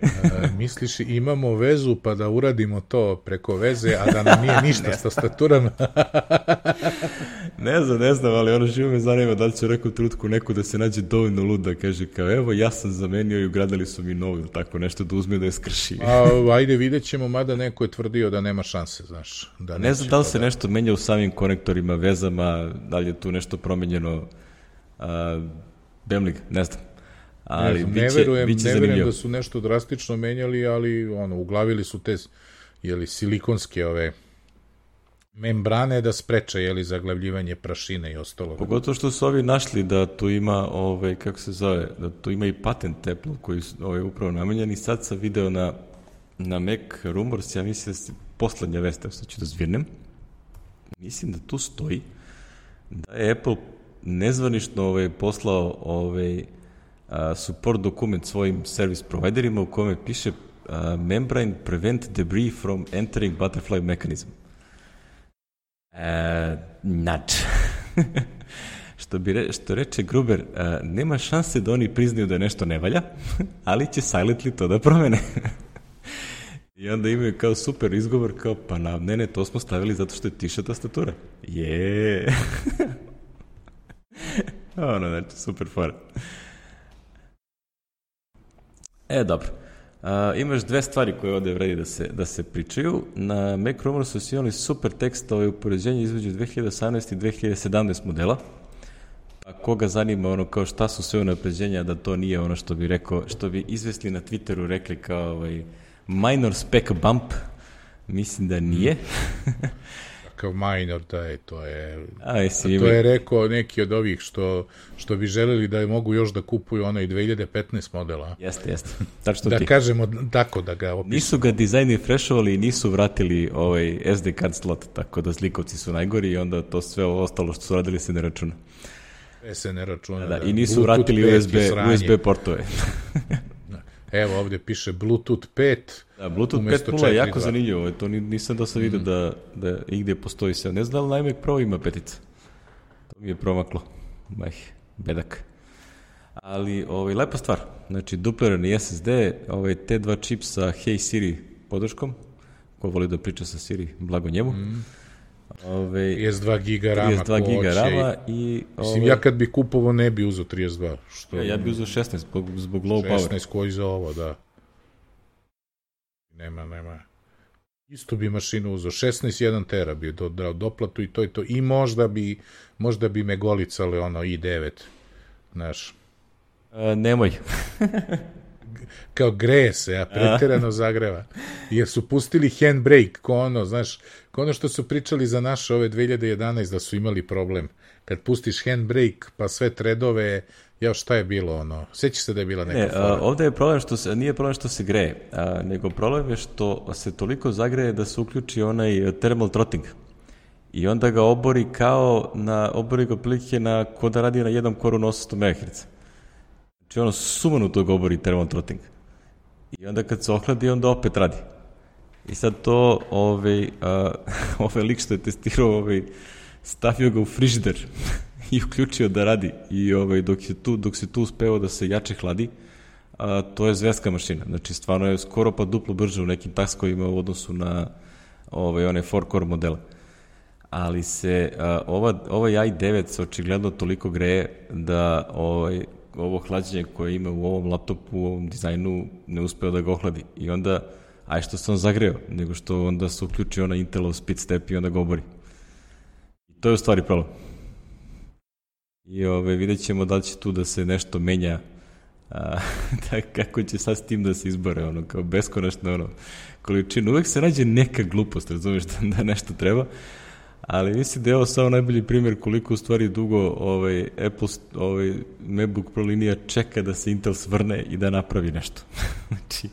B: Misliš imamo vezu pa da uradimo to preko veze, a da nam nije ništa s tastaturama?
A: Ne znam, ali živo me zanima da li će u nekom trenutku neko da se nađe dovoljno lud da kaže kao evo ja sam zamenio i ugradili su mi novu ili tako nešto da uzme da je skrši.
B: Ajde vidjet ćemo, mada neko je tvrdio da nema šanse, znaš.
A: Ne znam da li se nešto menja u samim konektorima, vezama, da li je tu nešto promenjeno. Bemlig, ne znam. Ali
B: ne verujem da su nešto drastično menjali, ali uglavili su te silikonske membrane da spreče zaglavljivanje prašine i ostalo.
A: Pogotovo što su ovi našli da tu ima kako se zove, da tu ima i patent Apple koji je upravo namenjen i sad sam video na Mac Rumors, ja mislim da se poslednja vest, što ću da zvirnem, mislim da tu stoji da je Apple nezvanično poslao support dokument svojim service providerima u kome piše membrane prevent debris from entering butterfly mechanism. Što reče Gruber, nema šanse da oni priznaju da nešto ne valja, ali će silently to da promene. I onda imaju kao super izgovor, kao pa ne, to smo stavili zato što je tiša tastatura. Znači, super fora. Dobro. Imaš dve stvari koje ovde vredi da se pričaju. Na Mac Rumorsu su imali super tekst upoređenje između 2018 i 2017 modela. A koga zanima kao šta su sve unapređenja, da to nije ono što bi izvesli na Twitteru rekli kao minor spec bump, mislim da nije.
B: Kao minor, to je rekao neki od ovih što bi želeli da mogu još da kupuju onaj 2015 modela.
A: Jeste. Tačno
B: da kažemo tako da ga opisamo.
A: Nisu ga dizajni freshovali i nisu vratili SD card slot, tako da zlikovci su najgori i onda to sve ostalo što su radili se ne računa.
B: Se ne računa, da.
A: I nisu vratili USB portove.
B: Evo, ovdje piše Bluetooth 5.
A: Da, Bluetooth 5.0 je jako zanimljivo. To nisam do sad vidio da igdje postoji sve. Ne znam da li na iMac Pro ima petica. To mi je promaklo. Bedak. Ali, lepa stvar. Znači, duplirani SSD, te dva čip sa Hey Siri podrškom. Ko voli da priča sa Siri, blago njemu.
B: 32 giga rama.
A: 32 giga rama i...
B: Mislim, ja kad bi kupovao ne bi uzeo 32.
A: Ja bi uzeo 16 zbog low power.
B: 16 koji za ovo, da. Nema. Isto bi mašinu uzeo, 16.1 tera bi dodao doplatu i to je to. I možda bi me golicale ono i9, znaš.
A: Nemoj.
B: Kao greje se, a preterano zagreva. Jer su pustili handbrake, ko ono što su pričali za naše ove 2011 da su imali problem. Kad pustiš handbrake, pa sve tredove, šta je bilo ono? Sjećaš se da je bila neka fora?
A: Ovdje je problem nije problem što se greje, nego problem je što se toliko zagreje da se uključi onaj thermal throttling. I onda ga obori obori ga prilike ko da radi na jednom koru na 800 MHz. Znači ono sumanuto ga obori thermal throttling. I onda kad se ohladi, onda opet radi. I sad to ovaj lik što je testirao, stavio ga u frižider i uključio da radi. I dok se tu uspeo da se jače hladi, to je zvezka mašina. Znači stvarno je skoro pa duplo brže u nekim taskovima u odnosu na one 4-core modele. Ali se ovaj i9 se očigledno toliko greje da ovo hlađenje koje ima u ovom laptopu, u ovom dizajnu, ne uspeo da ga ohladi. I onda, što se on zagreo, nego što onda se uključi onaj Intelov speed step i onda ga obori. I to je u stvari problem. I vidjet ćemo da li će tu da se nešto menja, kako će sad s tim da se izbore, kao beskonačno količinu. Uvek se nađe neka glupost, razumiješ, da nešto treba. Ali mislim da je ovo samo najbolji primjer koliko u stvari dugo Apple, MacBook Pro linija čeka da se Intel svrne i da napravi nešto. Znači,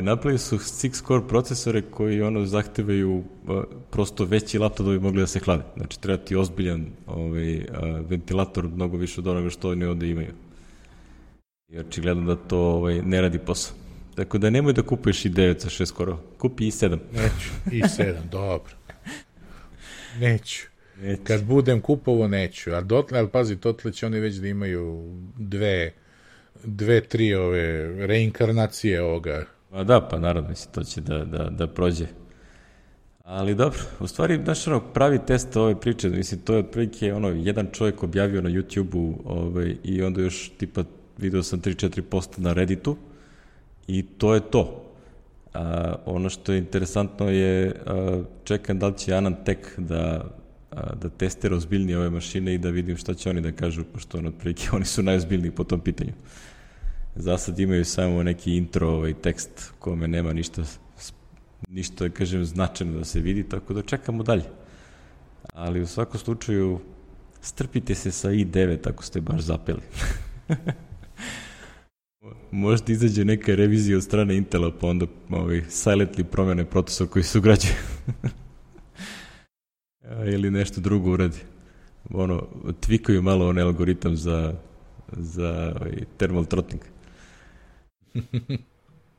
A: napravili su 6-core procesore koji zahtevaju prosto veći laptop da bi mogli da se hlade. Znači, treba ti ozbiljan ventilator mnogo više od onoga što oni ovde imaju. I očigledno da to ne radi posao. Tako da nemoj da kupuješ i9 sa 6 korova, kupi i7.
B: Neću, i7, dobro. Neću. Kad budem kupovo, neću. Ali pazi, dotle će oni već da imaju dve, tri reinkarnacije ovoga.
A: Pa naravno, mislim, to će da prođe. Ali dobro, u stvari, znaš, pravi test ove priče, mislim, to je otprilike, jedan čovjek objavio na YouTube-u i onda još, tipa, video sam 3-4 posta na Redditu i to je to. Ono što je interesantno je, čekam da li će AnandTech da testira ozbiljnije ove mašine i da vidim šta će oni da kažu, pošto otprilike oni su najozbiljniji po tom pitanju. Za sad imaju samo neki intro tekst u kome nema ništa, da kažem, značajno da se vidi, tako da čekamo dalje. Ali u svakom slučaju strpite se sa i9 ako ste baš zapeli. Možda izađe neka revizija od strane Intela, pa onda silently promene procesor koji se ugrađuje. Ili nešto drugo uradi. Tvikaju malo onaj algoritam za thermal throttling.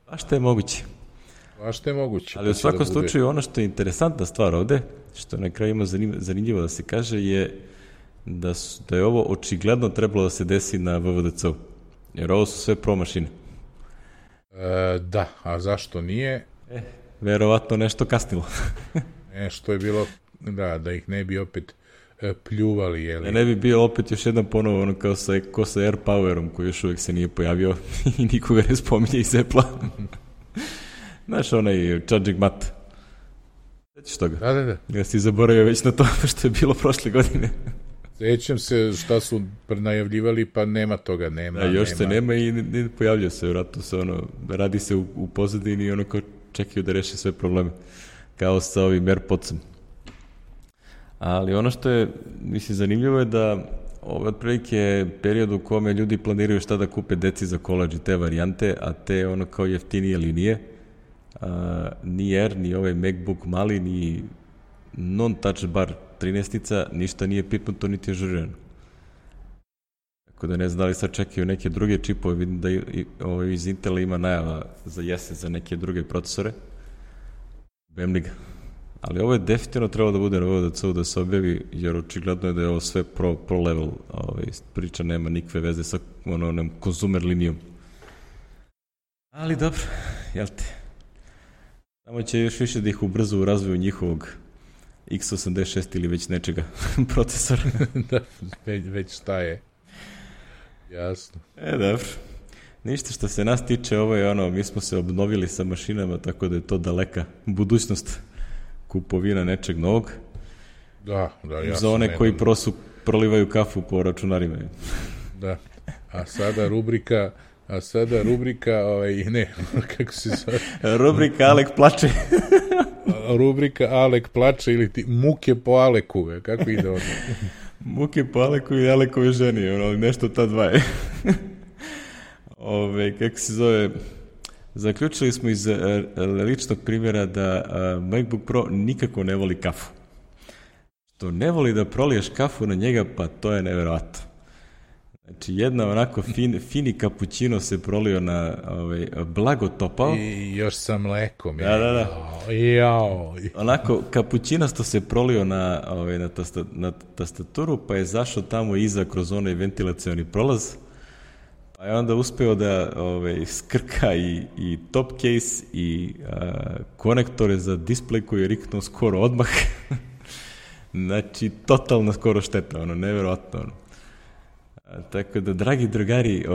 A: A što je moguće? Ali u svakom slučaju ono što je interesantna stvar ovde, što na kraju ima zanimljivo da se kaže, je da je ovo očigledno trebalo da se desi na VVDC-u. Jer ovo su sve pro mašine.
B: Da, a zašto nije?
A: Verovatno nešto kasnilo.
B: Nešto je bilo, da ih ne bi opet pljuvali, jeli?
A: Ne bi bio opet još jedan ponovo, kao sa AirPowerom, koji još uvijek se nije pojavio i nikoga ne spominje iz Apple-a. Znaš, onaj charging mat. Sećaš toga?
B: Da.
A: Ja si zaboravio već na to što je bilo prošle godine.
B: Sećam se šta su najavljivali, pa nema toga, nema.
A: Još se nema i ne pojavljaju se, vratno se radi se u pozadini i kao čekaju da reše sve probleme, kao sa ovim AirPodsom. Ali ono što je, mislim, zanimljivo je da ovo je otprilike period u kome ljudi planiraju šta da kupe deci za koledž i te varijante, a te kao jeftinije linije, ni Air, ni ovaj MacBook mali, ni non-touch bar 13-ica, ništa nije pipnuto, niti je žurirano. Tako da ne znam da li sad čekaju neke druge čipove, vidim da iz Intela ima najava za jesen za neke druge procesore. Bemli ga. Ali ovo je definitivno trebalo da bude na VVDC-u da se objavi, jer očigledno je da je ovo sve pro level priča, nema nikakve veze sa konzumer linijom. Ali dobro, jel te? Samo će još više da ih ubrza u razvoju njihovog x86 ili već nečega procesora.
B: Da, već šta je. Jasno.
A: Dobro. Ništa što se nas tiče, ovo je ono, mi smo se obnovili sa mašinama, tako da je to daleka budućnost kupovina nečeg novog.
B: Da, ja
A: za one koji prolivaju kafu po računarima.
B: Da, a sada rubrika, ne, kako se zove?
A: Rubrika Alek plače.
B: Rubrika Alek plače ili ti muke po Aleku, kako ide ono?
A: Muke po Aleku i Alekove ženi, ono, nešto ta dva je. Kako se zove, zaključili smo iz ličnog primjera da MacBook Pro nikako ne voli kafu. Što ne voli da proliješ kafu na njega, pa to je neverovatno. Znači, jedna onako fini kapućino se prolio na blago topao.
B: I još sa mlekom.
A: Da.
B: Jao.
A: Onako, kapućinasto se prolio na tastaturu, pa je zašao tamo iza kroz onaj ventilacioni prolaz. Pa je onda uspeo da skrka i top case i konektore za display koji je riknuo skoro odmah. Znači, totalna skoro šteta, neverovatno. Tako da, dragi drugari,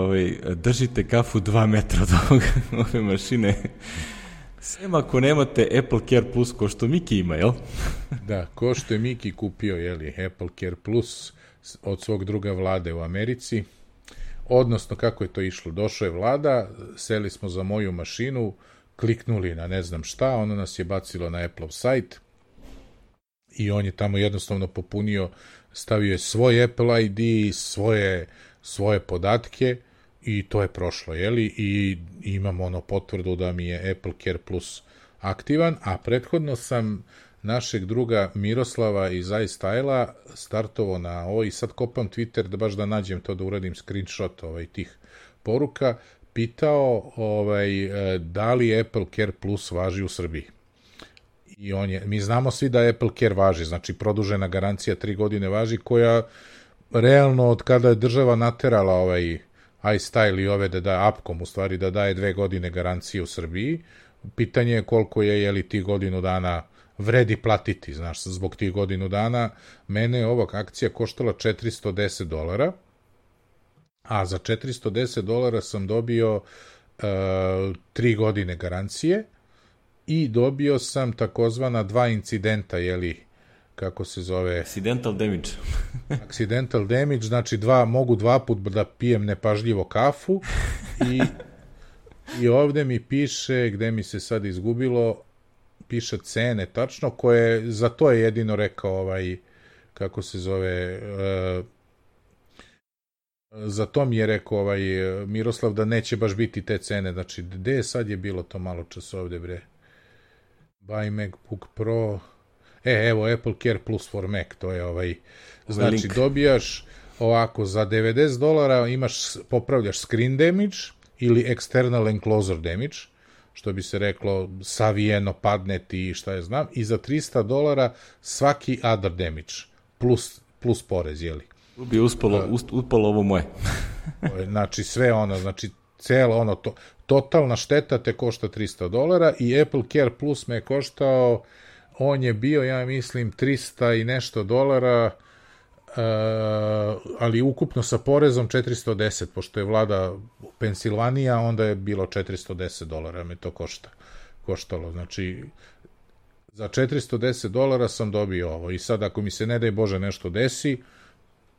A: držite kafu 2 metra od ove mašine. Sem ako nemate Apple Care Plus, ko što Miki ima, jel?
B: Da, ko što je Miki kupio, Apple Care Plus od svog druga Vlade u Americi. Odnosno, kako je to išlo? Došao je Vlada, seli smo za moju mašinu, kliknuli na ne znam šta, ono nas je bacilo na Apple sajt i on je tamo jednostavno popunio, stavio je svoj Apple ID, svoje podatke i to je prošlo, i imam potvrdu da mi je Apple Care Plus aktivan, a prethodno sam našeg druga Miroslava iz iStyle-a startovao na ovo i sad kopam Twitter da baš da nađem to, da uradim screenshot tih poruka, pitao da li Apple Care Plus važi u Srbiji. I mi znamo svi da Apple Care važi, znači produžena garancija 3 godine važi, koja realno od kada je država naterala iStyle i ove da daje Upcom, u stvari da daje 2 godine garancije u Srbiji, pitanje je koliko je ti godinu dana vredi platiti, znaš, zbog tih godinu dana. Mene je ova akcija koštala $410, a za $410 sam dobio 3 godine garancije i dobio sam takozvana 2 incidenta, kako se zove? Accidental damage, znači mogu 2 put da pijem nepažljivo kafu i ovde mi piše, gde mi se sad izgubilo, piše cene tačno, koje, za to je jedino rekao kako se zove, za to mi je rekao Miroslav da neće baš biti te cene, znači gde sad je bilo to malo čas ovde, bre? Buy MacBook Pro, evo Apple Care Plus for Mac, to je znači dobijaš ovako, za $90 popravljaš screen damage ili external enclosure damage, što bi se reklo savijeno, padne ti, šta je znam, i za $300 svaki other damage, plus porez,
A: Tu bi uspalo ovo moje.
B: Znači sve znači celo totalna šteta te košta $300 i Apple Care Plus me je koštao, on je bio, ja mislim, 300 i nešto dolara, ali ukupno sa porezom 410, pošto je vlada Pensilvanija, onda je bilo $410 me to koštalo, znači za $410 sam dobio ovo i sad ako mi se ne daj Bože nešto desi,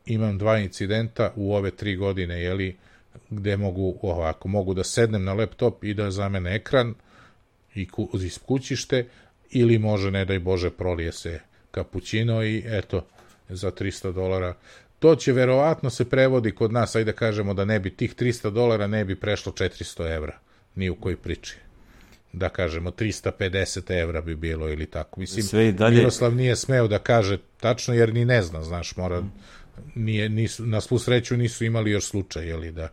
B: imam 2 incidenta u ove 3 godine, gde mogu da sednem na laptop i da zamene ekran i iskućište, ili može, ne daj Bože, prolije se kapućino i eto, za $300. To će verovatno se prevodi kod nas, ajde kažemo da ne bi tih $300 ne bi prešlo 400 evra, ni u kojoj priči. Da kažemo, 350 evra bi bilo ili tako. Mislim, Miroslav nije smeo da kaže tačno, jer ni ne zna, znaš, na svu sreću nisu imali još slučaj, da.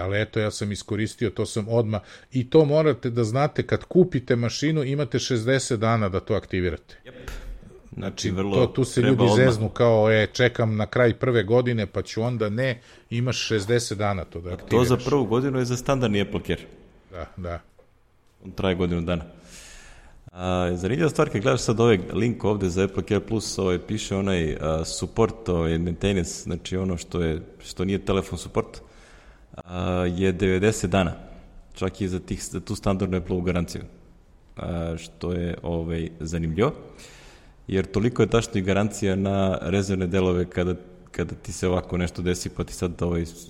B: Ali eto, ja sam iskoristio, to sam odmah, i to morate da znate, kad kupite mašinu imate 60 dana da to aktivirate. Znači, tu se ljudi zeznu kao, čekam na kraj prve godine pa ću onda, ne, imaš 60 dana to da aktiviraš.
A: To za prvu godinu je za standardni Apple Care.
B: Da.
A: On traje godinu dana. Zanimljiva stvar, kad gledaš sad ovaj link ovde za Apple Care Plus, piše onaj support, maintenance, znači ono što nije telefon support. je 90 dana. Čak i za tu standardnu Apple-ovu garanciju. Što je zanimljivo. Jer toliko je tačno i garancija na rezervne delove kada ti se ovako nešto desi, pa ti sad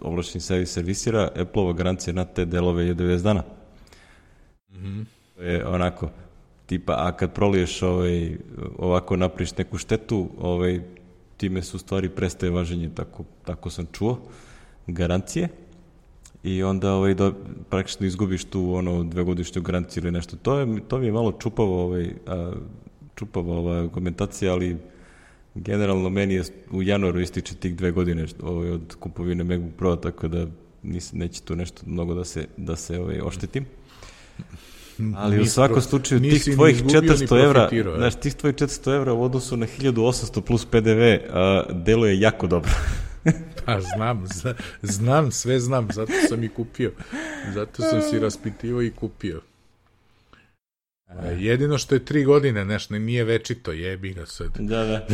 A: ovlašćeni servisira, Apple-ova garancija na te delove je 90 dana. To je onako, tipa, a kad proliješ ovako napriš neku štetu, time su stvari prestaje važenje, tako sam čuo, garancije, i onda praktično izgubiš tu 2-godišnju garanciju ili nešto. To mi je malo čupava ova argumentacija, ali generalno meni je u januaru ističe tih 2 godine od kupovine MacBook Pro, tako da neće tu nešto mnogo da se oštetim. Ali u svakom slučaju tih tvojih 400 evra, znaš, tih tvojih 400 evra u odnosu na 1800 plus PDV deluje jako dobro.
B: Pa znam, sve znam, zato sam i kupio. Zato sam si raspitivao i kupio. Jedino što je 3 godine, nešto nije večito, jebi ga sad.
A: Da.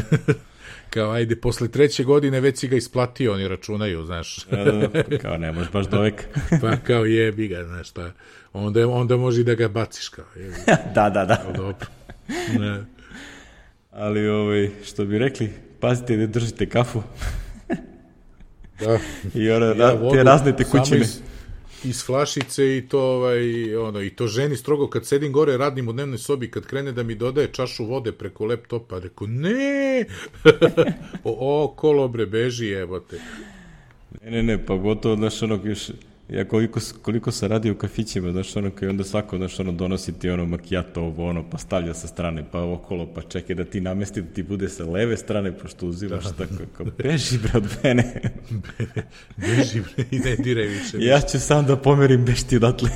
B: Kao, ajde, posle 3. godine već si ga isplatio, oni računaju, znaš.
A: Da, kao, ne možeš baš do veka.
B: Pa kao, jebi ga, znaš šta. Onda može i da ga baciš, kao, jebi ga.
A: Da.
B: Kao, dobro. Ne.
A: Ali, što bi rekli, pazite da držite kafu.
B: Da.
A: I te razne tekućine.
B: Iz flašice i to i to ženi strogo kad sedim gore radim u dnevnoj sobi, kad krene da mi dodaje čašu vode preko laptopa, rekao ne. Kolobre beži, jebote.
A: Ne, pa gotovo, znaš, još, ja koliko se radi u kafićima, znaš, koji onda svako, znaš, donosi ti macchiato, pa stavlja sa strane, pa okolo, pa čekaj da ti namesti, da ti bude sa leve strane, pošto uzimaš tako, kao, beži, bre, od mene.
B: Beži, bre, i ne diraj više.
A: Ja ću sam da pomerim, beš ti odatle.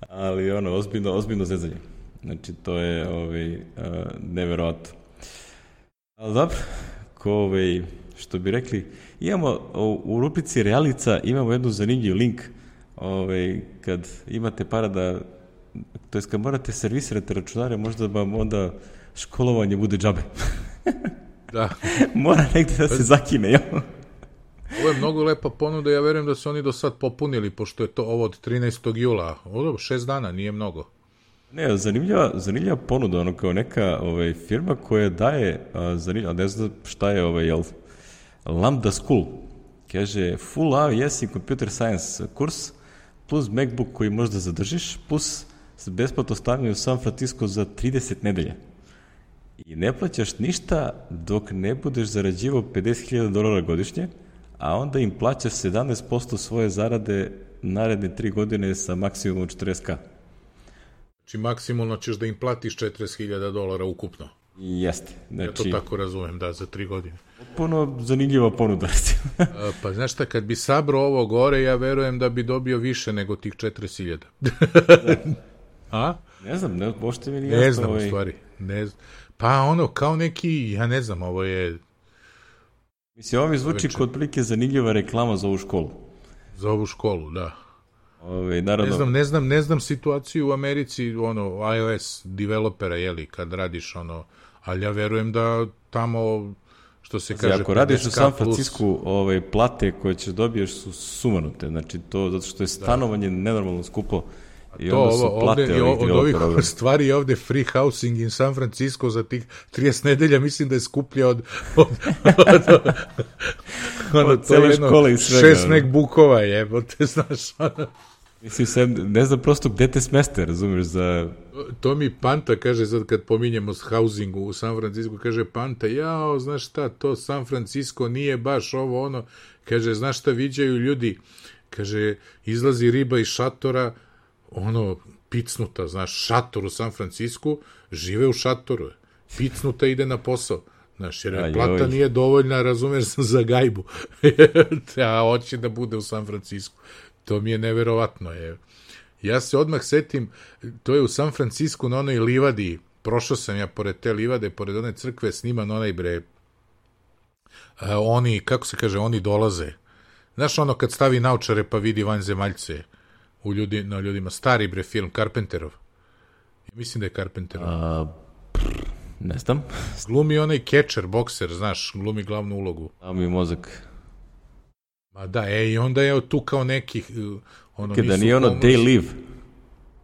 A: Ali, ozbiljno zezanje. Znači, to je, neverovatno. Ali dobro, što bi rekli, imamo u rubrici Realica imamo jednu zanimljiv link, kad imate para to jest kad morate servisirati računare, možda vam onda školovanje bude džabe.
B: Da.
A: Mora negde da se zakine, jel?
B: Ovo je mnogo lepa ponuda, ja verujem da su oni do sad popunili, pošto je to ovo od 13. jula. 6 dana, nije mnogo.
A: Ne, zanimljiva ponuda, kao neka firma koja daje, ne znam šta je, jel? Lambda School, kaže full AWS i computer science kurs, plus MacBook koji možda zadržiš, plus besplatno stavljanje u San Francisco za 30 nedelja. I ne plaćaš ništa dok ne budeš zarađivao $50,000 godišnje, a onda im plaćaš 17% svoje zarade naredne 3 godine sa maksimumom 40K.
B: Znači maksimalno ćeš da im platiš $40,000 ukupno.
A: Jeste. Znači,
B: ja to tako razumem, da, za 3 godine.
A: Puno zanimljiva ponuda.
B: Pa znaš šta, kad bi sabrao ovo gore, ja verujem da bi dobio više nego tih 40.000. A?
A: Ne znam, pošto mi nije jasno.
B: Ne znam, u stvari. Ne znam. Pa kao neki, ja ne znam, ovo je...
A: Mislim, ovo mi zvuči kod prilike zanimljiva reklama za ovu školu.
B: Za ovu školu, da.
A: Naravno...
B: Ne znam situaciju u Americi, iOS developera, jeli, kad radiš, ali ja verujem da tamo, što se kaže...
A: Ako radiš u San Francisco, plate koje ćeš dobiješ su sumanute, znači to, zato što je stanovanje nenormalno skupo. I
B: to
A: onda su plate
B: od ovih stvari je ovde free housing in San Francisco za tih 30 nedelja, mislim da je skuplja od
A: cele škole i svega.
B: 6 MacBookova jebote, znaš.
A: Mislim, ne znam prosto gde te smeste, razumiješ, za...
B: To mi Panta kaže, sad kad pominjemo housingu u San Francisco, kaže Panta, znaš šta, to San Francisco nije baš ovo, kaže, znaš šta viđaju ljudi, kaže, izlazi riba iz šatora, picnuta, znaš, šator u San Francisku, žive u šatoru, picnuta ide na posao, znaš, jer plata nije dovoljna, razumeš, za gajbu, a hoće da bude u San Francisku. To mi je neverovatno. Ja se odmah setim, to je u San Francisku na onoj livadi, prošao sam ja pored te livade, pored one crkve, sniman onaj oni, kako se kaže, oni dolaze. Znaš kad stavi naučare pa vidi vanzemaljce na ljudima, stari film, Carpenterov. Ja mislim da je Carpenterov.
A: Ne znam.
B: Glumi onaj catcher, bokser, znaš, glumi glavnu ulogu.
A: A mi mozak.
B: Ma da, i onda je tu kao nekih,
A: Kada nije ono They Live.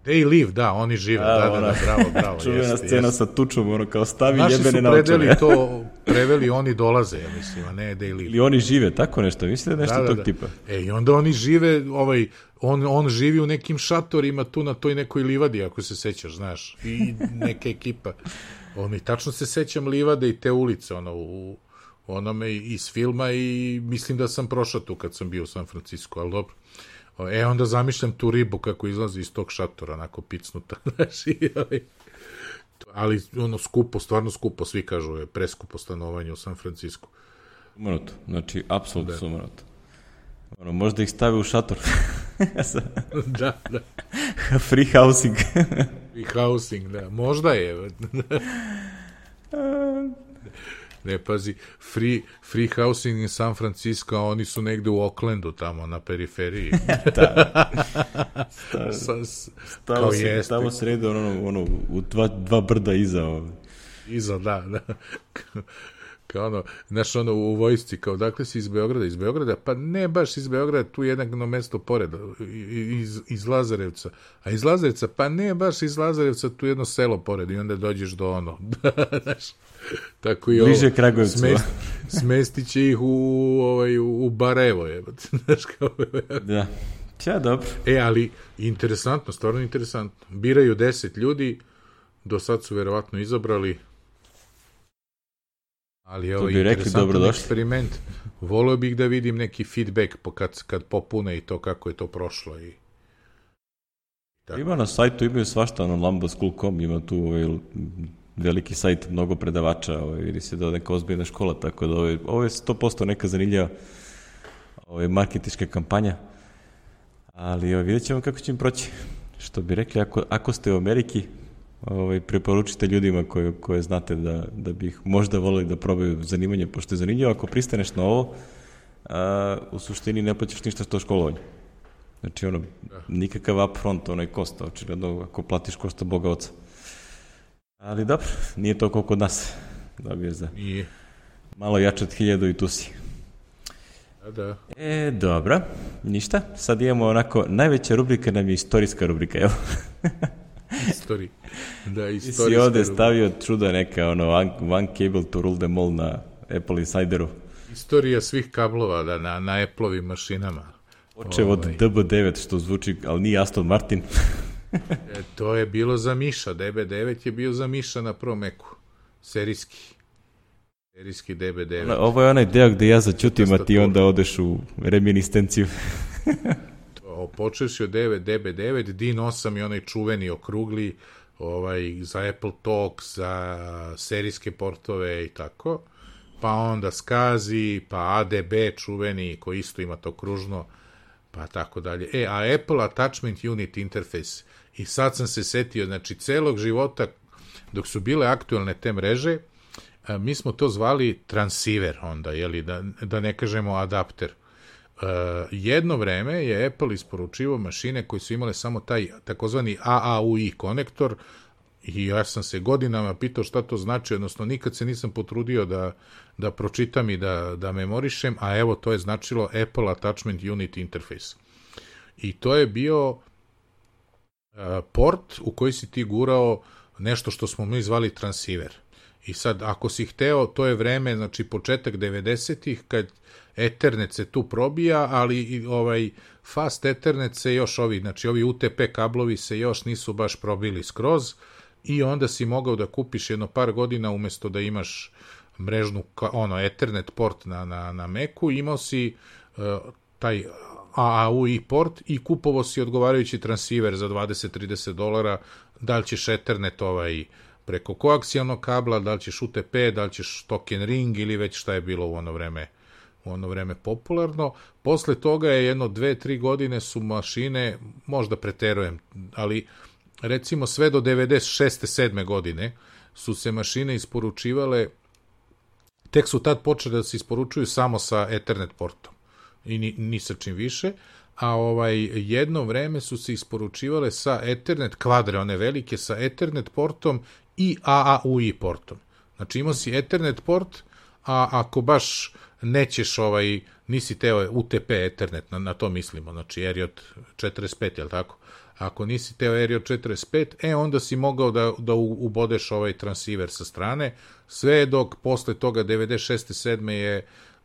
B: They Live, da, oni žive, da, bravo.
A: Čuvena scena sa tučom, ono kao stavi
B: naši
A: jebene na
B: naši su
A: očare.
B: preveli oni dolaze, ja mislim, a ne They Live.
A: Ili oni žive, tako nešto, mislite da nešto tog tipa.
B: I onda oni žive, on živi u nekim šatorima tu na toj nekoj livadi, ako se sećaš, znaš, i neka ekipa. Tačno se sećam livade i te ulice, u onome iz filma i mislim da sam prošao tu kad sam bio u San Francisco, ali dobro. Onda zamišljam tu ribu kako izlazi iz tog šatora, onako picnuta, znaš, ali skupo, stvarno skupo, svi kažu je preskupo stanovanje u San Francisco.
A: Sumanuto, znači, apsolutno sumanuto. Možda ih stavi u šator.
B: Da.
A: Free housing.
B: Free housing, da. Možda je. Ne, pazi, free housing in San Francisco, a oni su negde u Oaklandu, tamo, na periferiji.
A: Tamo srede, u dva brda iza.
B: Iza, da. Kao znaš, u vojsci, kao, dakle si iz Beograda? Iz Beograda? Pa ne baš iz Beograda, tu jedno mesto pored, iz Lazarevca. A iz Lazarevca? Pa ne baš iz Lazarevca, tu jedno selo pored i onda dođeš do znaš, tako i
A: bliže Kragujevcu.
B: Smestit će ih u Barajevo, znaš, kao.
A: Da, dobro.
B: Ali interesantno, stvarno interesantno. Biraju 10 ljudi, do sad su verovatno izabrali. Ali ovo je interesantan eksperiment. Volio bih da vidim neki feedback kad popune i to kako je to prošlo.
A: Ima na sajtu, imaju svašta, lamboschool.com, ima tu veliki sajt, mnogo predavača, vidi se da je neka ozbiljna škola, tako da ovo je 100% neka zanimljiva marketinška kampanja, ali vidjet ćemo kako će im proći. Što bi rekli, ako ste u Ameriki, preporučite ljudima koje znate da bi ih možda voleli da probaju zanimanje, pošto je zanimljivo, ako pristaneš na ovo, u suštini ne plaćaš ništa što školovanje. Znači, nikakav upfront, kosta, očigledno, ako platiš košta Boga oca. Ali dobro, nije to koliko kod nas. Dobiješ za malo jače od 1000 i tu si.
B: Da.
A: Dobro, ništa. Sad imamo onako, najveća rubrika nam je istorijska rubrika, evo.
B: Istorija. Da, istorijska
A: rubrika. Si ovde stavio čuda neka, one cable to rule them all na Apple Insideru.
B: Istorija svih kablova, na Apple-ovim mašinama.
A: Počeo od DB9, što zvuči, ali nije Aston Martin.
B: To je bilo za Miša, DB9 je bio za Miša na prvom Macu, serijski DB9.
A: Ovo je onaj deo gde ja začutim, a ti onda odeš u reminiscenciju.
B: Počeš od DB9, DIN8 je onaj čuveni okrugli, za Apple Talk, za serijske portove i tako, pa onda SCSI, pa ADB čuveni, koji isto ima to kružno, pa tako dalje. A Apple Attachment Unit Interface, i sad sam se setio, znači celog života, dok su bile aktualne te mreže, mi smo to zvali transceiver onda, da ne kažemo adapter. Jedno vreme je Apple isporučivao mašine koje su imale samo taj takozvani AAUI konektor, i ja sam se godinama pitao šta to znači, odnosno nikad se nisam potrudio da pročitam i da memorišem, a evo to je značilo Apple Attachment Unit Interface. I to je bio port u koji si ti gurao nešto što smo mi zvali transceiver. I sad, ako si hteo, to je vreme, znači početak 90-ih, kad Ethernet se tu probija, ali Fast Ethernet se još ovi UTP kablovi se još nisu baš probili skroz, i onda si mogao da kupiš jedno par godina, umesto da imaš mrežnu, Ethernet port na Macu, imao si taj AAUI port i kupovao si odgovarajući transceiver za $20-30, da li ćeš Ethernet preko koaksijalnog kabla, da li ćeš UTP, da li ćeš token ring ili već šta je bilo u ono vreme popularno. Posle toga je 2-3 godine su mašine, možda preterujem, ali recimo sve do 96. 7. godine su se mašine isporučivale, tek su tad počeli da se isporučuju samo sa Ethernet portom i ni sa čim više, a jedno vreme su se isporučivale sa Ethernet kvadre, one velike, sa Ethernet portom i AAUI portom. Znači imao si Ethernet port, a ako baš nećeš nisi teo UTP Ethernet, na to mislimo, znači Eriot 45, jel tako? Ako nisi teo Eriot 45, onda si mogao da ubodeš ovaj transceiver sa strane, sve dok posle toga 96. 7.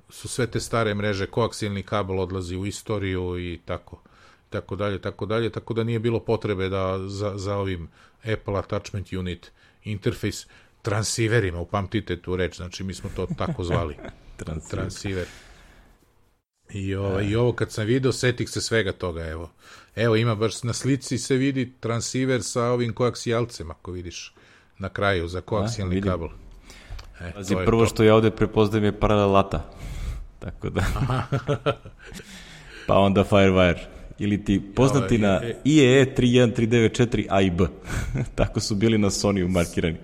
B: su sve te stare mreže, koaksijalni kabel odlazi u istoriju i tako dalje, tako da nije bilo potrebe da za ovim Apple Attachment Unit interface transceiverima, upamtite tu reč, znači mi smo to tako zvali. Transceiver. I ovo kad sam video, setih se svega toga, evo ima baš na slici se vidi transceiver sa ovim koaksijalcem, ako vidiš na kraju za koaksijalni kabel.
A: Pazi, prvo što ja ovde prepoznajem je paralelata, tako da pa onda Firewire ili ti poznati na IEE 31394 A i B. Tako su bili na Sony-u markirani.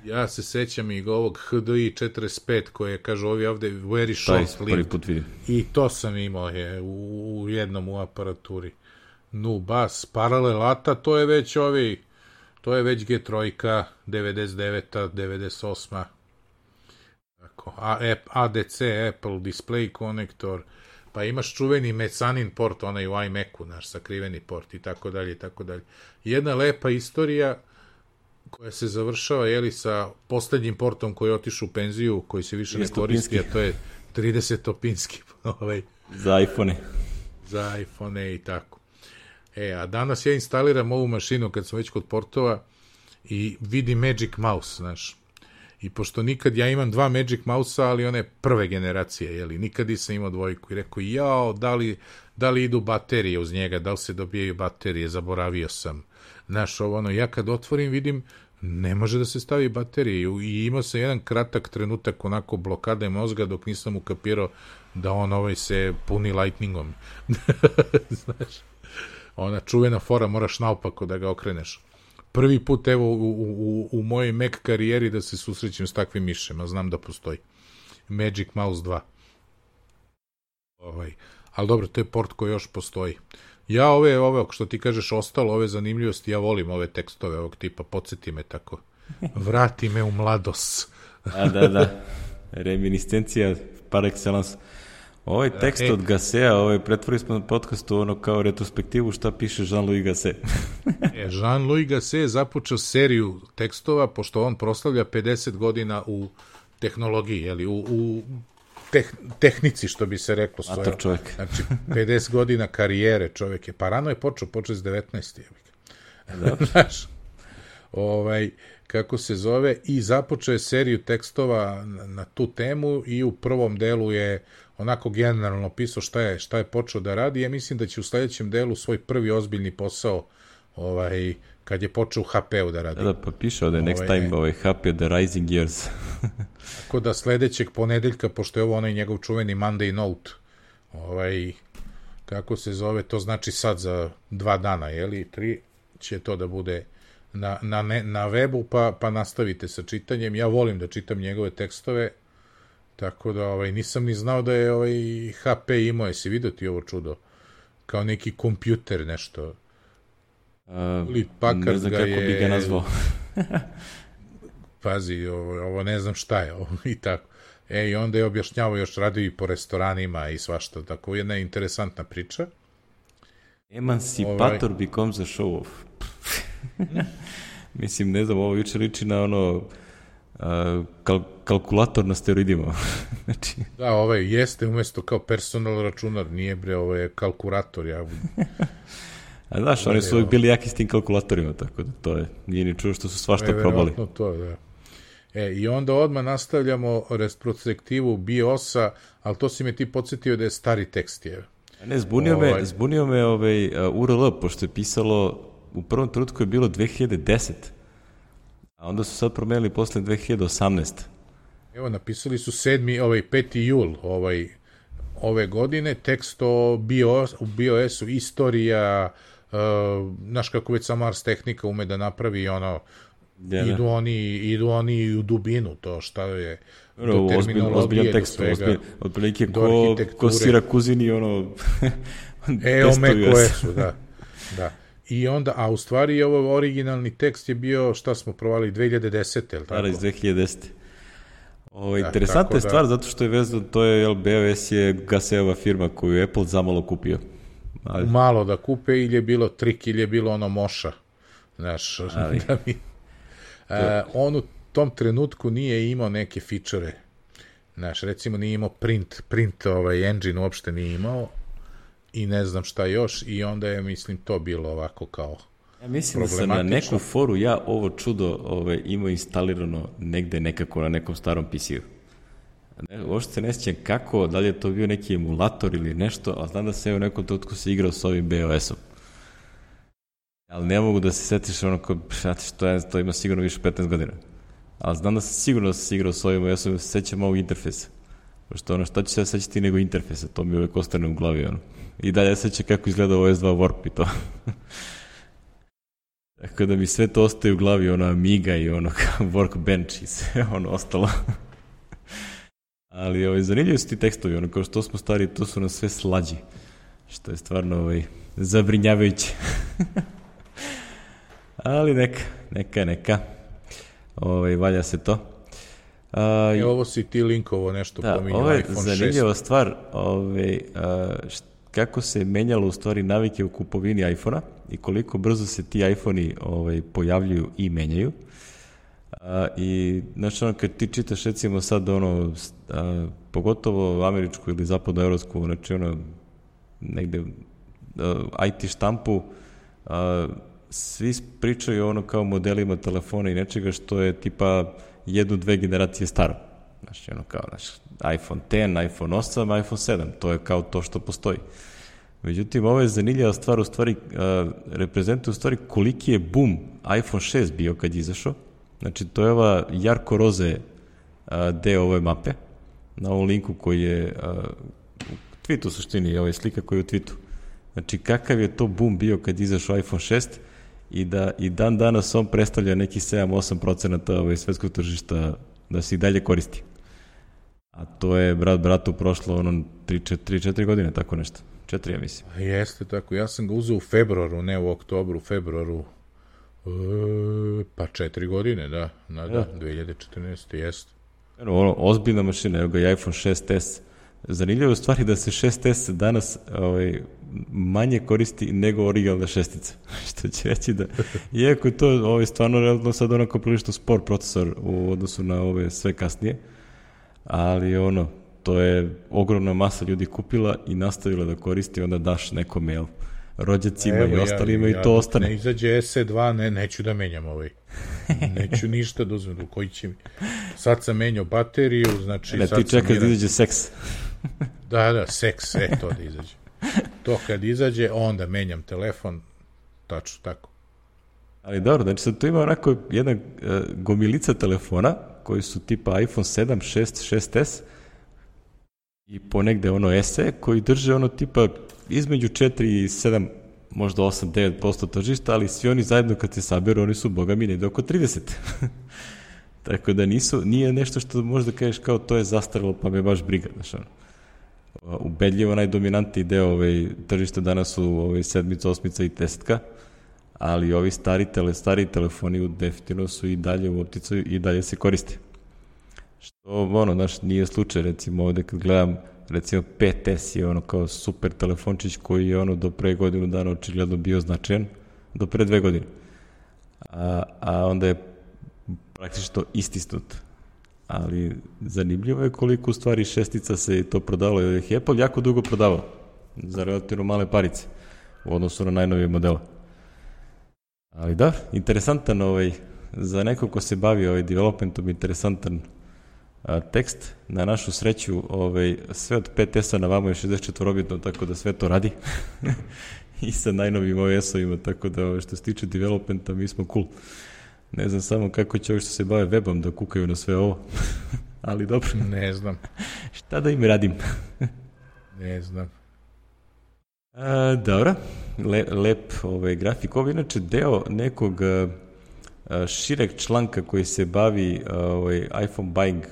B: Ja se sećam i ovog HDI 45 koje kažu ovi ovde very short lived. I to sam imao u jednom u aparaturi. Bas, paralelata, to je već G3, 99, 98. Tako, ADC, Apple Display Connector, pa imaš čuveni mecanin port, onaj u iMacu, naš sakriveni port i tako dalje. Jedna lepa istorija koja se završava sa poslednjim portom koji je otišao u penziju, koji se više ne koristi, a to je 30-opinski.
A: Za iPhone-e.
B: Za iPhone-e i tako. A danas ja instaliram ovu mašinu kad sam već kod portova i vidim Magic Mouse, znaš. I pošto nikad, ja imam 2 Magic Mouse-a, ali one prve generacije, nikad nisam imao dvojku. I rekao, da li idu baterije uz njega, da li se dobijaju baterije, zaboravio sam. Znaš, ja kad otvorim vidim, ne može da se stavi baterije i imao sam jedan kratak trenutak onako blokade mozga dok nisam ukapirao da on se puni lightningom. Znaš, ona čuvena fora, moraš naopako da ga okreneš. Prvi put, u mojoj Mac karijeri da se susrećem s takvim mišema, znam da postoji. Magic Mouse 2. Ali dobro, to je port koji još postoji. Ja ove, što ti kažeš, ostalo, ove zanimljivosti, ja volim ove tekstove ovog tipa, podsjeti me tako. Vrati me u mladost.
A: Da. Reminiscencija par excellence. Ovaj tekst od Gassea, pretvorili smo na podcastu kao retrospektivu šta piše Jean-Louis Gasset.
B: Jean-Louis Gasset je započeo seriju tekstova, pošto on proslavlja 50 godina u tehnologiji, u tehnici, što bi se reklo.
A: Mator čovjek.
B: Znači, 50 godina karijere čovjek je. Pa rano je počeo s 19. Znaš, kako se zove, i započeo je seriju tekstova na tu temu i u prvom delu je onako generalno pisao šta je počeo da radi. Ja mislim da će u sledećem delu svoj prvi ozbiljni posao kad je počeo u HP-u da radi.
A: Pa piše ovde next time HP The Rising Years.
B: Tako da sledećeg ponedeljka, pošto je ovo onaj njegov čuveni Monday Note, kako se zove, to znači sad za 2 dana, 3 će to da bude na webu, pa nastavite sa čitanjem. Ja volim da čitam njegove tekstove, tako da nisam ni znao da je HP imao, jesi vidio ti ovo čudo? Kao neki kompjuter, nešto.
A: Ne znam kako bi ga nazvao.
B: Pazi, ovo ne znam šta je, i tako. I onda je objašnjavao, još radio i po restoranima i svašta, tako jedna interesantna priča.
A: Emancipator becomes a show off. Mislim, ne znam, ovo juče liči na kalkulator na steroidima. Znači...
B: Da, jeste umesto kao personal računar, nije ovo je kalkulator.
A: A znaš, oni su uvijek bili jaki s tim kalkulatorima, tako da to je, nije ni čuo što su svašta probali.
B: To, da. I onda odmah nastavljamo retrospektivu BIOS-a, ali to si me ti podsjetio da je stari tekst.
A: Ne, zbunio me URL, pošto je pisalo, u prvom trenutku je bilo 2010, a onda su sad promenili posle 2018.
B: Evo, napisali su 5. jul ove godine, tekst o BIOS-u, istorija, znaš kako već sama Ars Technica ume da napravi idu oni u dubinu, to šta je do terminologije, do svega,
A: otprilike ko Sirakuzini
B: testuju su, da. I onda, a u stvari ovo originalni tekst je bio, šta smo provali, 2010, je li tako?
A: Iz 2010. Interesantna je stvar, zato što je vezano, to je, BOS je Gaseova firma koju je Apple zamalo kupio.
B: Malo da kupe, ili je bilo trik, ili je bilo ono moša. Znaš, on u tom trenutku nije imao neke fičere. Znaš, recimo nije imao print engine uopšte nije imao i ne znam šta još i onda je, mislim, to bilo ovako kao
A: ja mislim da sam na neku foru ovo čudo imao instalirano negde nekako na nekom starom PC-u. Uopšte se ne sjećam kako, da li je to bio neki emulator ili nešto, ali znam da se u nekom trenutku se igrao s ovim BOS-om. Ali ne mogu da se setiš to ima sigurno više 15 godina. Ali znam da sam sigurno se igrao s ovim, ja sam se sećam ovog interfejsa. Pošto šta ću se sećati nego interfejsa, to mi uvek ostane u glavi. I dalje sećam kako izgleda OS2 Warp i to. Tako da mi sve to ostaje u glavi, Amiga i Workbench i sve ostalo. Ali zanimljivi su ti tekstovi, kao što smo stari, to su nam sve slađi. Što je stvarno zabrinjavajuće. Ali neka. Valja se to.
B: Ovo si ti linkovo nešto pominjao,
A: ovo je
B: iPhone 6.
A: zanimljiva stvar, kako se menjalo u stvari navike u kupovini iPhona i koliko brzo se ti iPhoni pojavljuju i menjaju. I znači kad ti čitaš recimo sad pogotovo američku ili zapadnoevropsku, znači negde IT štampu, svi pričaju kao modelima telefona i nečega što je tipa 1-2 generacije staro. Znači iPhone X, iPhone 8, iPhone 7, to je kao to što postoji. Međutim, ovo je zanimljiva stvar, u stvari reprezentuje u stvari koliki je boom iPhone 6 bio kad je izašao. Znači, to je ova jarko roze deo ove mape, na ovom linku koji je u tweetu u suštini, ovo je slika koja je u tweetu. Znači, kakav je to boom bio kad je izašao iPhone 6 i da i dan danas on predstavlja neki 7-8% svetskog tržišta da se i dalje koristi. A to je bratu prošlo 3-4 godine, tako nešto. 4, ja mislim.
B: Jeste tako, ja sam ga uzeo u februaru, ne u oktobru, u februaru, pa 4 godine, da, 2014. jeste.
A: Ozbiljna mašina, evo ga i iPhone 6s. Zanimljivo je u stvari da se 6s danas manje koristi nego originalna šestica. Što će reći da, iako je to stvarno realno sad prilično spor procesor u odnosu na ove sve kasnije, ali to je ogromna masa ljudi kupila i nastavila da koristi, onda daš nekome, rođacima i ostalima i to ostane.
B: Ne izađe SE2, neću da menjam neću ništa da uzmem, koji će mi. Sad sam menjao bateriju, znači...
A: ti čekaš da izađe seks.
B: Da, seks, to da izađe. To kad izađe, onda menjam telefon, tačno tako.
A: Ali dobro, znači sad tu ima jedna gomilica telefona, koji su tipa iPhone 7, 6, 6s, i ponegde SE, koji drže tipa između 4 i 7, možda 8-9% tržišta, ali svi oni zajedno kad se saberu, oni su, boga mi, negde oko 30. Tako da nije nešto što možda kažeš kao to je zastarilo, pa me baš briga, znaš ubedljivo najdominantniji deo tržišta danas su 7, 8 i 10, ali ovi stari telefoni definitivno su i dalje u opticaju i dalje se koriste. Što, nije slučaj, recimo ovde kad gledam, recimo 5S je kao super telefončić koji je do pre godinu dana očigledno bio značajan, do pre 2 godine. A onda je praktično istisnut. Ali zanimljivo je koliko u stvari šestica se to prodalo, jer je Apple jako dugo prodavao za relativno male parice u odnosu na najnovije modele. Ali da, interesantan za nekog ko se bavi developmentom, interesantan tekst. Na našu sreću sve od 5S-a na vamo je 64-bitno, tako da sve to radi i sa najnovim OS-ovima, tako da što se tiče developmenta mi smo cool. Ne znam samo kako će ovi što se bave webom da kukaju na sve ovo, ali dobro.
B: Ne znam.
A: Šta da im radim?
B: Ne znam.
A: Dobro, lep grafik. Ovo je inače deo nekog šireg članka koji se bavi iPhone buying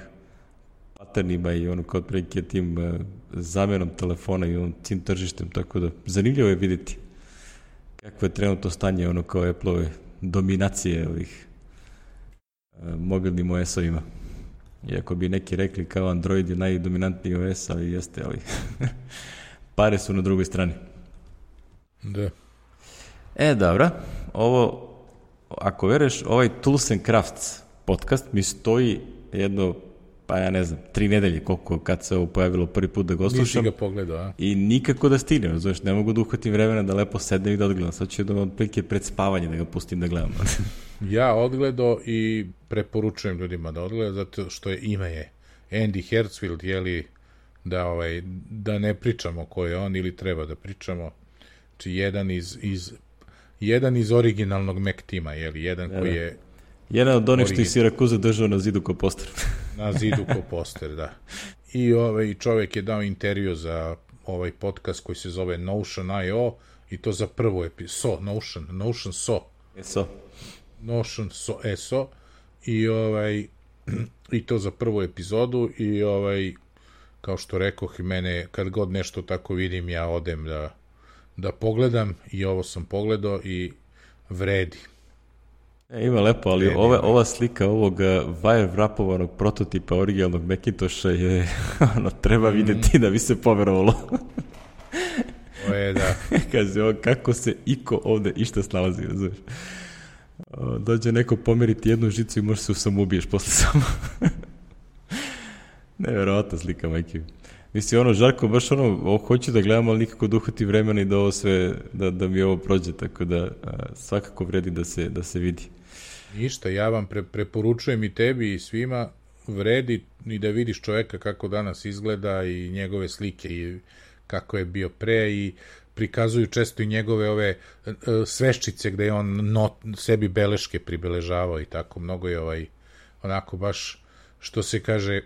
A: patternima i kao prilike tim zamenom telefona i tim tržištem, tako da zanimljivo je vidjeti kako je trenutno stanje kao Apple-ove dominacije ovih mobilnim OS-ovima. Iako bi neki rekli kao Android je najdominantniji OS, ali jeste, ali pare su na drugoj strani.
B: Da.
A: Dobro, ovo, ako veruješ, ovaj Tools and Crafts podcast mi stoji jedno, pa ja ne znam, 3 nedelje koliko kad se ovo pojavilo prvi put da ga slušam.
B: Nisi ga pogledao, a?
A: I nikako da stignem, znaš, ne mogu da uhvatim vremena da lepo sednem i da odgledam. Sad ću da otprilike pred spavanje da ga pustim da gledam.
B: Ja odgledao i preporučujem ljudima da odgledaju, zato što ime je Andy Hertzfield, jeli, da ne pričamo ko je on ili treba da pričamo. Znači, jedan iz originalnog Mac tima, jeli, koji je...
A: Jedan od onih što ih Sirakuza držao na zidu ko poster.
B: Na zidu ko poster, da. I čovjek je dao intervju za ovaj podcast koji se zove Notion.io i to za prvu epizodu. Notion So. Notion So. I to za prvu epizodu i kao što rekoh, mene kad god nešto tako vidim, ja odem da pogledam i ovo sam pogledao i vredi.
A: Ima lepo, ali ova slika ovog wire wrapovanog prototipa originalnog Macintosha je, treba vidjeti da bi se poverovalo.
B: To je, da.
A: Kaže, kako se iko ovde išta snalazi, razumiješ? Dođe neko pomeriti jednu žicu i možeš se samoubiješ posle samo. Neverovatna slika, majke. Mislim, Žarko, baš hoću da gledam, ali nikako da uhvati vremena i da ovo sve, da mi ovo prođe, tako da svakako vredi da se vidi.
B: Ništa, ja vam preporučujem i tebi i svima, vredi i da vidiš čoveka kako danas izgleda i njegove slike i kako je bio pre i prikazuju često i njegove ove sveščice gde je on sebi beleške pribeležavao i tako, mnogo je onako baš, što se kaže,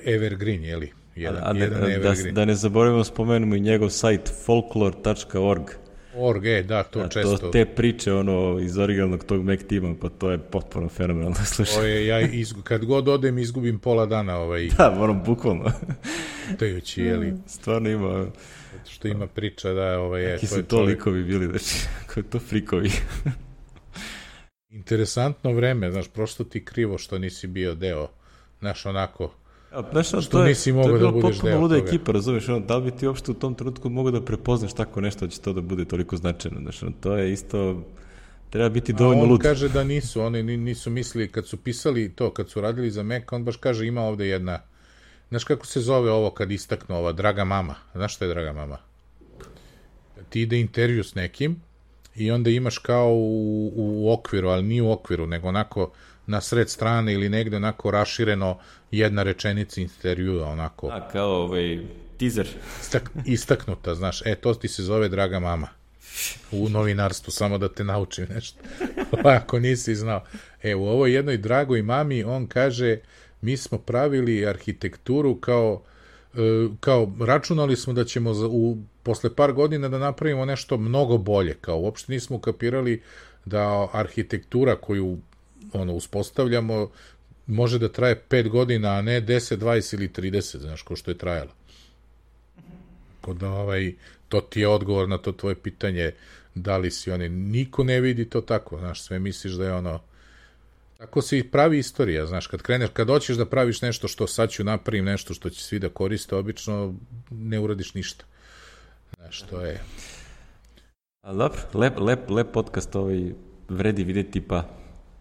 B: evergreen, jeli? Jedan evergreen.
A: Da ne zaboravimo, spomenemo i njegov sajt folklore.org.
B: Da, to često.
A: To, te priče, iz originalnog tog Mac tima, pa to je potpuno fenomenalno slušati.
B: Kad god odem, izgubim pola dana.
A: Da, moram bukvalno.
B: Tajući, jeli?
A: Stvarno ima...
B: Što ima priča, da,
A: Ki su to likovi bili, znači, kako je to frikovi.
B: Interesantno vreme, znaš, prosto ti krivo što nisi bio deo, znaš, onako...
A: Što nisi mogao da budeš deo toga. To je bilo potpuno luda ekipa, razumiješ, da li bi ti uopšte u tom trenutku mogao da prepoznaš tako nešto, da će to da bude toliko značajno, znaš, to je isto, treba biti dovoljno lud.
B: On kaže da nisu, oni nisu mislili, kad su pisali to, kad su radili za Mac, on baš kaže, ima ovde jedna, znaš kako se zove ovo kad istaknu ova, Draga mama, znaš što je Draga mama? Ti ide intervju s nekim i onda imaš kao u okviru, ali nije u okviru, nego onako na sred strane ili negde onako rašireno jedna rečenica intervjua, onako.
A: Kao teaser.
B: Istaknuta, znaš, to ti se zove Draga mama. U novinarstvu, samo da te naučim nešto. Ako nisi znao. U ovoj jednoj Dragoj mami, on kaže, mi smo pravili arhitekturu kao računali smo da ćemo posle par godina da napravimo nešto mnogo bolje, kao uopšte nismo kapirali da arhitektura koju uspostavljamo može da traje 5 godina, a ne 10, 20 ili 30, znaš, ko što je trajalo. Kod to ti je odgovor na to tvoje pitanje, da li si niko ne vidi to tako, znaš, sve misliš da je tako se i pravi istorija, znaš, kad hoćeš da praviš nešto što sad ću napravim nešto što će svi da koriste, obično ne uradiš ništa. Znaš, to je...
A: Lep podcast vredi videti, pa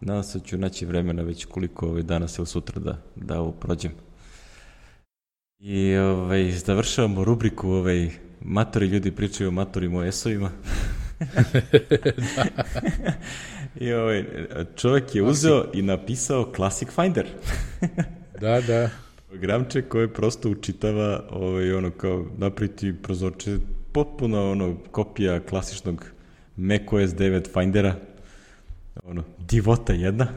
A: nadam se ću naći vremena već koliko danas ili sutra da ovo prođem. I završavamo rubriku matori ljudi pričaju o matorim OS-ovima. I čovjek je uzeo i napisao Classic Finder.
B: Da.
A: Programče koje prosto učitava kao napraviti prozorče, potpuno kopija klasičnog macOS 9 Findera. Divota jedna.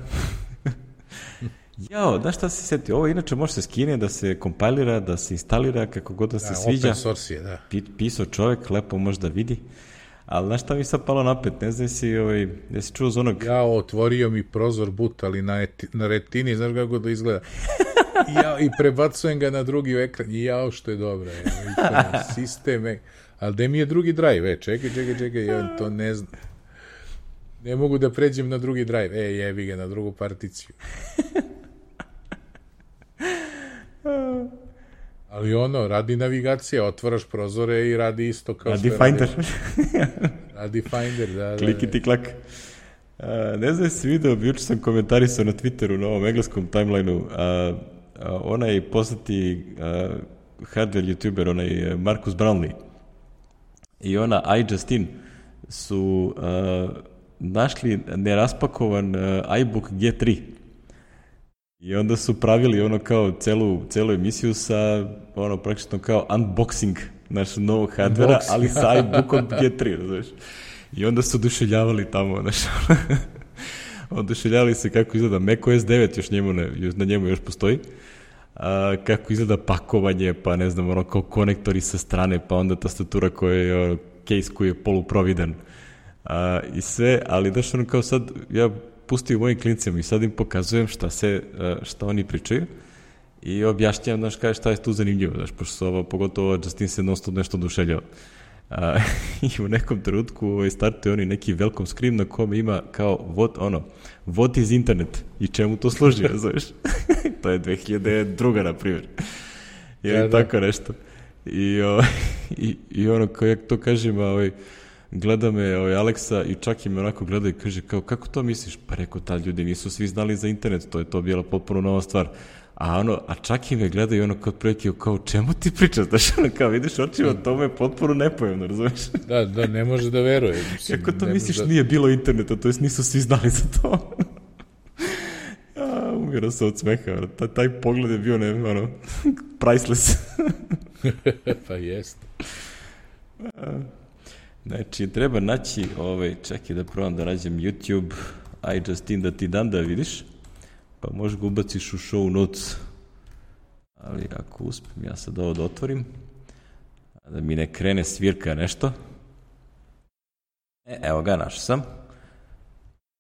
A: Znaš šta se setio? Ovo inače može se skine, da se kompilira, da se instalira, kako god da se sviđa.
B: Open source je, da.
A: Pisao čovjek, lepo može da vidi. Ali znaš šta mi sad palo napet? Ne znam jesi čuo za onog...
B: Otvorio mi prozor boot, ali na retini, znaš kako da izgleda. I prebacujem ga na drugi ekran. Što je dobro. Sistem. Ali gde mi je drugi drive? Čekaj, on to ne zna. Ne mogu da pređem na drugi drive. Jebi ga, na drugu particiju. Ali radi navigacija, otvaraš prozore i radi isto kao
A: radi Finder.
B: Radi Finder, da.
A: Klikiti klak. Ne znam si video, juče sam komentarisao na Twitteru, na ovom engleskom timelineu, onaj poznati hardware youtuber, onaj Marcus Brownlee i ona iJustine su našli neraspakovan iBook G3 i onda su pravili kao celu emisiju sa praktično kao unboxing našeg novog hardvera, ali sa iBookom G3, znaš. I onda su oduševljavali tamo, znaš, oduševljavali se kako izgleda macOS 9, na njemu još postoji, kako izgleda pakovanje, pa ne znam, kao konektori sa strane, pa onda tastatura koja je, case koji je poluprovidan i sve, ali znaš, kao sad, ja pustio mojim klincima i sad im pokazujem šta oni pričaju i objašnjam, znaš, kaj šta je tu zanimljivo, znaš, pošto su pogotovo Justin se non-stop nešto oduševljava. I u nekom trenutku startuje oni neki welcome screen na kome ima kao what is internet i čemu to služi, znaš. To je 2002. na primjer. Ili tako nešto. I kao ja to kažem, gleda me Aleksa i čak i me onako gleda i kaže kao, kako to misliš? Pa rekao, ljudi nisu svi znali za internet, to bila potpuno nova stvar. A čak i me gleda i kao prilike, kao, čemu ti pričaš? Znaš, kao, vidiš očima, to me je potpuno nepojemno, razumeš?
B: Da, ne može da veruje.
A: Kako to misliš nije bilo interneta, to jest nisu svi znali za to? Umiro se od smeha, taj pogled je bio, priceless.
B: Pa jest.
A: Znači, treba naći, čekaj da probam da nađem YouTube, iJustine da ti dam da vidiš. Pa možeš ga ubaciš u show notes, ali ako uspijem ja sad ovo da otvorim, da mi ne krene svirka nešto. Evo ga, našao sam.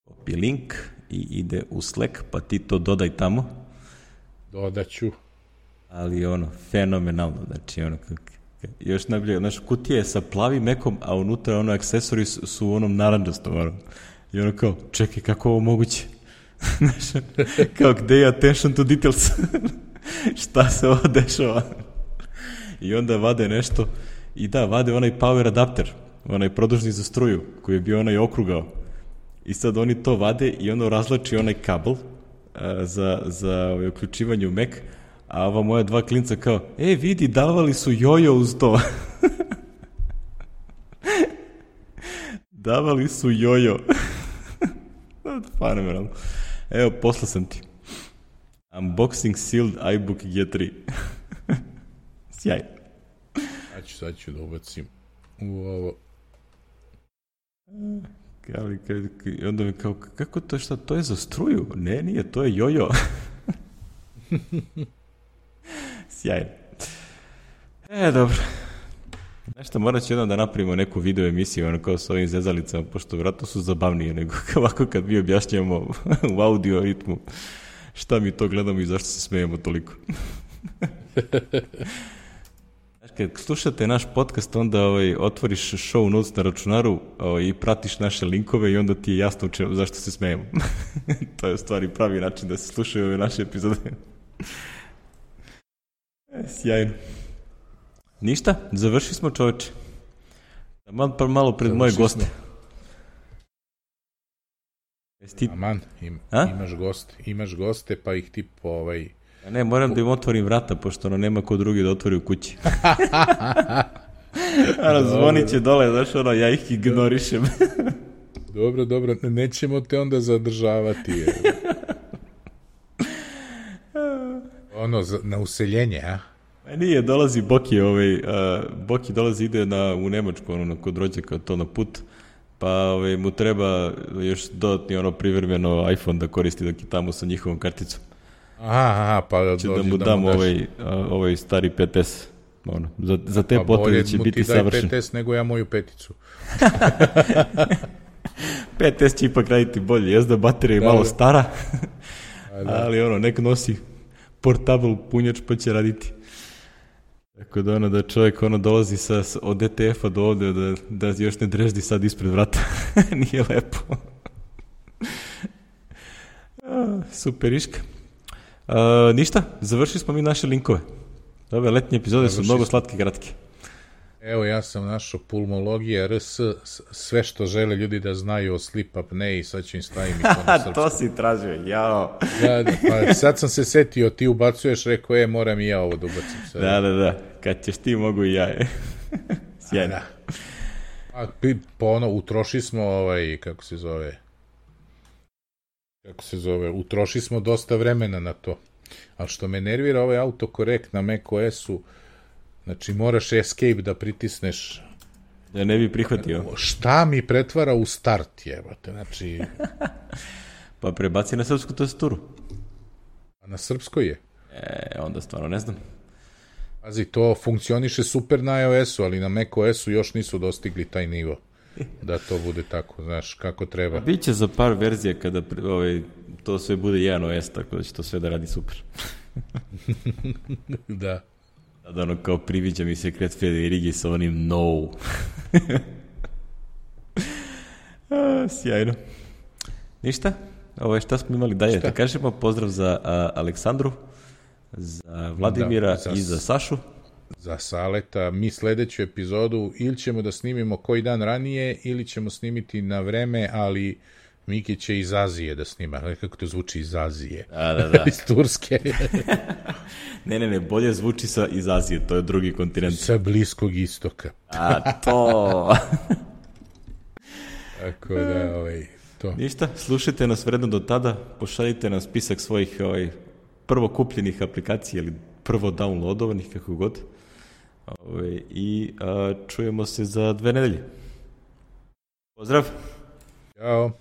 A: Copy link i ide u Slack, pa ti to dodaj tamo.
B: Dodaću. Ali
A: fenomenalno, znači još najbolje, znači kutija je sa plavim mekom, a unutra akcesori su u onom naranđastom, i kao, čekaj, kako ovo moguće? Kao, gde je attention to details? Šta se ovo dešava? I onda vade nešto i vade onaj power adapter, onaj produžni za struju koji je bio onaj okrugao i sad oni to vade i razlači onaj kabel za uključivanje u Mac, a ova moja dva klinca kao, vidi, davali su jojo uz to. Davali su jojo. Fenomenalno. Evo, poslao sam ti. Unboxing sealed iBook G3. Sjaj.
B: Sad ću da ubacim u ovo.
A: I onda mi kao, kako to, šta, to je za struju? Ne, nije, to je jojo. Sjajno. Dobro. Nešto, morat ću jednom da napravimo neku video emisiju, kao s ovim zezalicama, pošto vratno su zabavnije nego ovako kad mi objašnjamo u audio ritmu šta mi to gledamo i zašto se smejemo toliko. Kad slušate naš podcast, onda otvoriš show notes na računaru i pratiš naše linkove i onda ti je jasno zašto se smejemo. To je u stvari pravi način da se slušaju ove naše epizode. Sjajno. Ništa, završili smo, čoveče. Malo pred moje goste.
B: Aman, imaš goste, pa ih ti
A: Ne, moram da im otvorim vrata, pošto nema ko drugi da otvori u kući. Zvonit će dole, znaš, ja ih ignorišem.
B: Dobro, nećemo te onda zadržavati. Na useljenje, a?
A: Nije, dolazi Boki, Boki dolazi, ide u Nemačku, kod rođaka, to na put, pa mu treba još dodatni privremeno iPhone da koristi dok je tamo sa njihovom karticom.
B: Aha, pa
A: će da mu dam ovaj stari 5S, za te potrebe će biti savršen.
B: Pa bolje mu ti daj 5S nego ja moju peticu.
A: 5S će ipak raditi bolje, jezda baterija je malo stara, ali nek nosi portable punjač pa će raditi. Tako da čovjek dolazi od ETF-a do ovde da još ne dreždi sad ispred vrata. Nije lepo. Superiška. Ništa, završili smo mi naše linkove. Ove letnje epizode su mnogo slatke i kratke.
B: Evo, ja sam našao pulmologija RS, sve što žele ljudi da znaju o sleep apnei, sad ću im stavim i to na srpskom.
A: To si tražio, jao.
B: Da, pa sad sam se setio, ti ubacuješ, rekao, moram i ja ovo da ubacim sad.
A: Da, kad ćeš ti, mogu i ja, Sjajno.
B: Pa utroši smo utroši smo dosta vremena na to. Ali što me nervira ovaj autokorekt na macOS-u, znači moraš escape da pritisneš.
A: Da ne bi prihvatio.
B: Šta mi pretvara u start, jebate, znači...
A: Pa prebaci na srpsku tastaturu.
B: A na srpskoj je?
A: Onda stvarno ne znam.
B: Pazi, to funkcioniše super na iOS-u, ali na macOS-u još nisu dostigli taj nivo. Da to bude tako, znaš, kako treba.
A: Biće za par verzija kada to sve bude jedan OS, tako da će to sve da radi super.
B: Da.
A: Sada ono kao priviđa mi se Kret Federigi sa onim no. Sjajno. Ništa? Šta smo imali dalje? Da kažemo pozdrav za Aleksandru, za Vladimira i za Sašu.
B: Za Saleta. Mi sledeću epizodu ili ćemo da snimimo koji dan ranije ili ćemo snimiti na vreme, ali Miki će iz Azije da snima. Kako to zvuči iz Azije?
A: Da.
B: Iz Turske.
A: Ne, bolje zvuči iz Azije, to je drugi kontinent.
B: Sa Bliskog istoka.
A: A to...
B: Tako da, to.
A: Ništa, slušajte nas vredno do tada, pošaljite nam spisak svojih prvo kupljenih aplikacija ili prvo downloadovanih, kako god. I čujemo se za 2 nedelje. Pozdrav!
B: Ćao!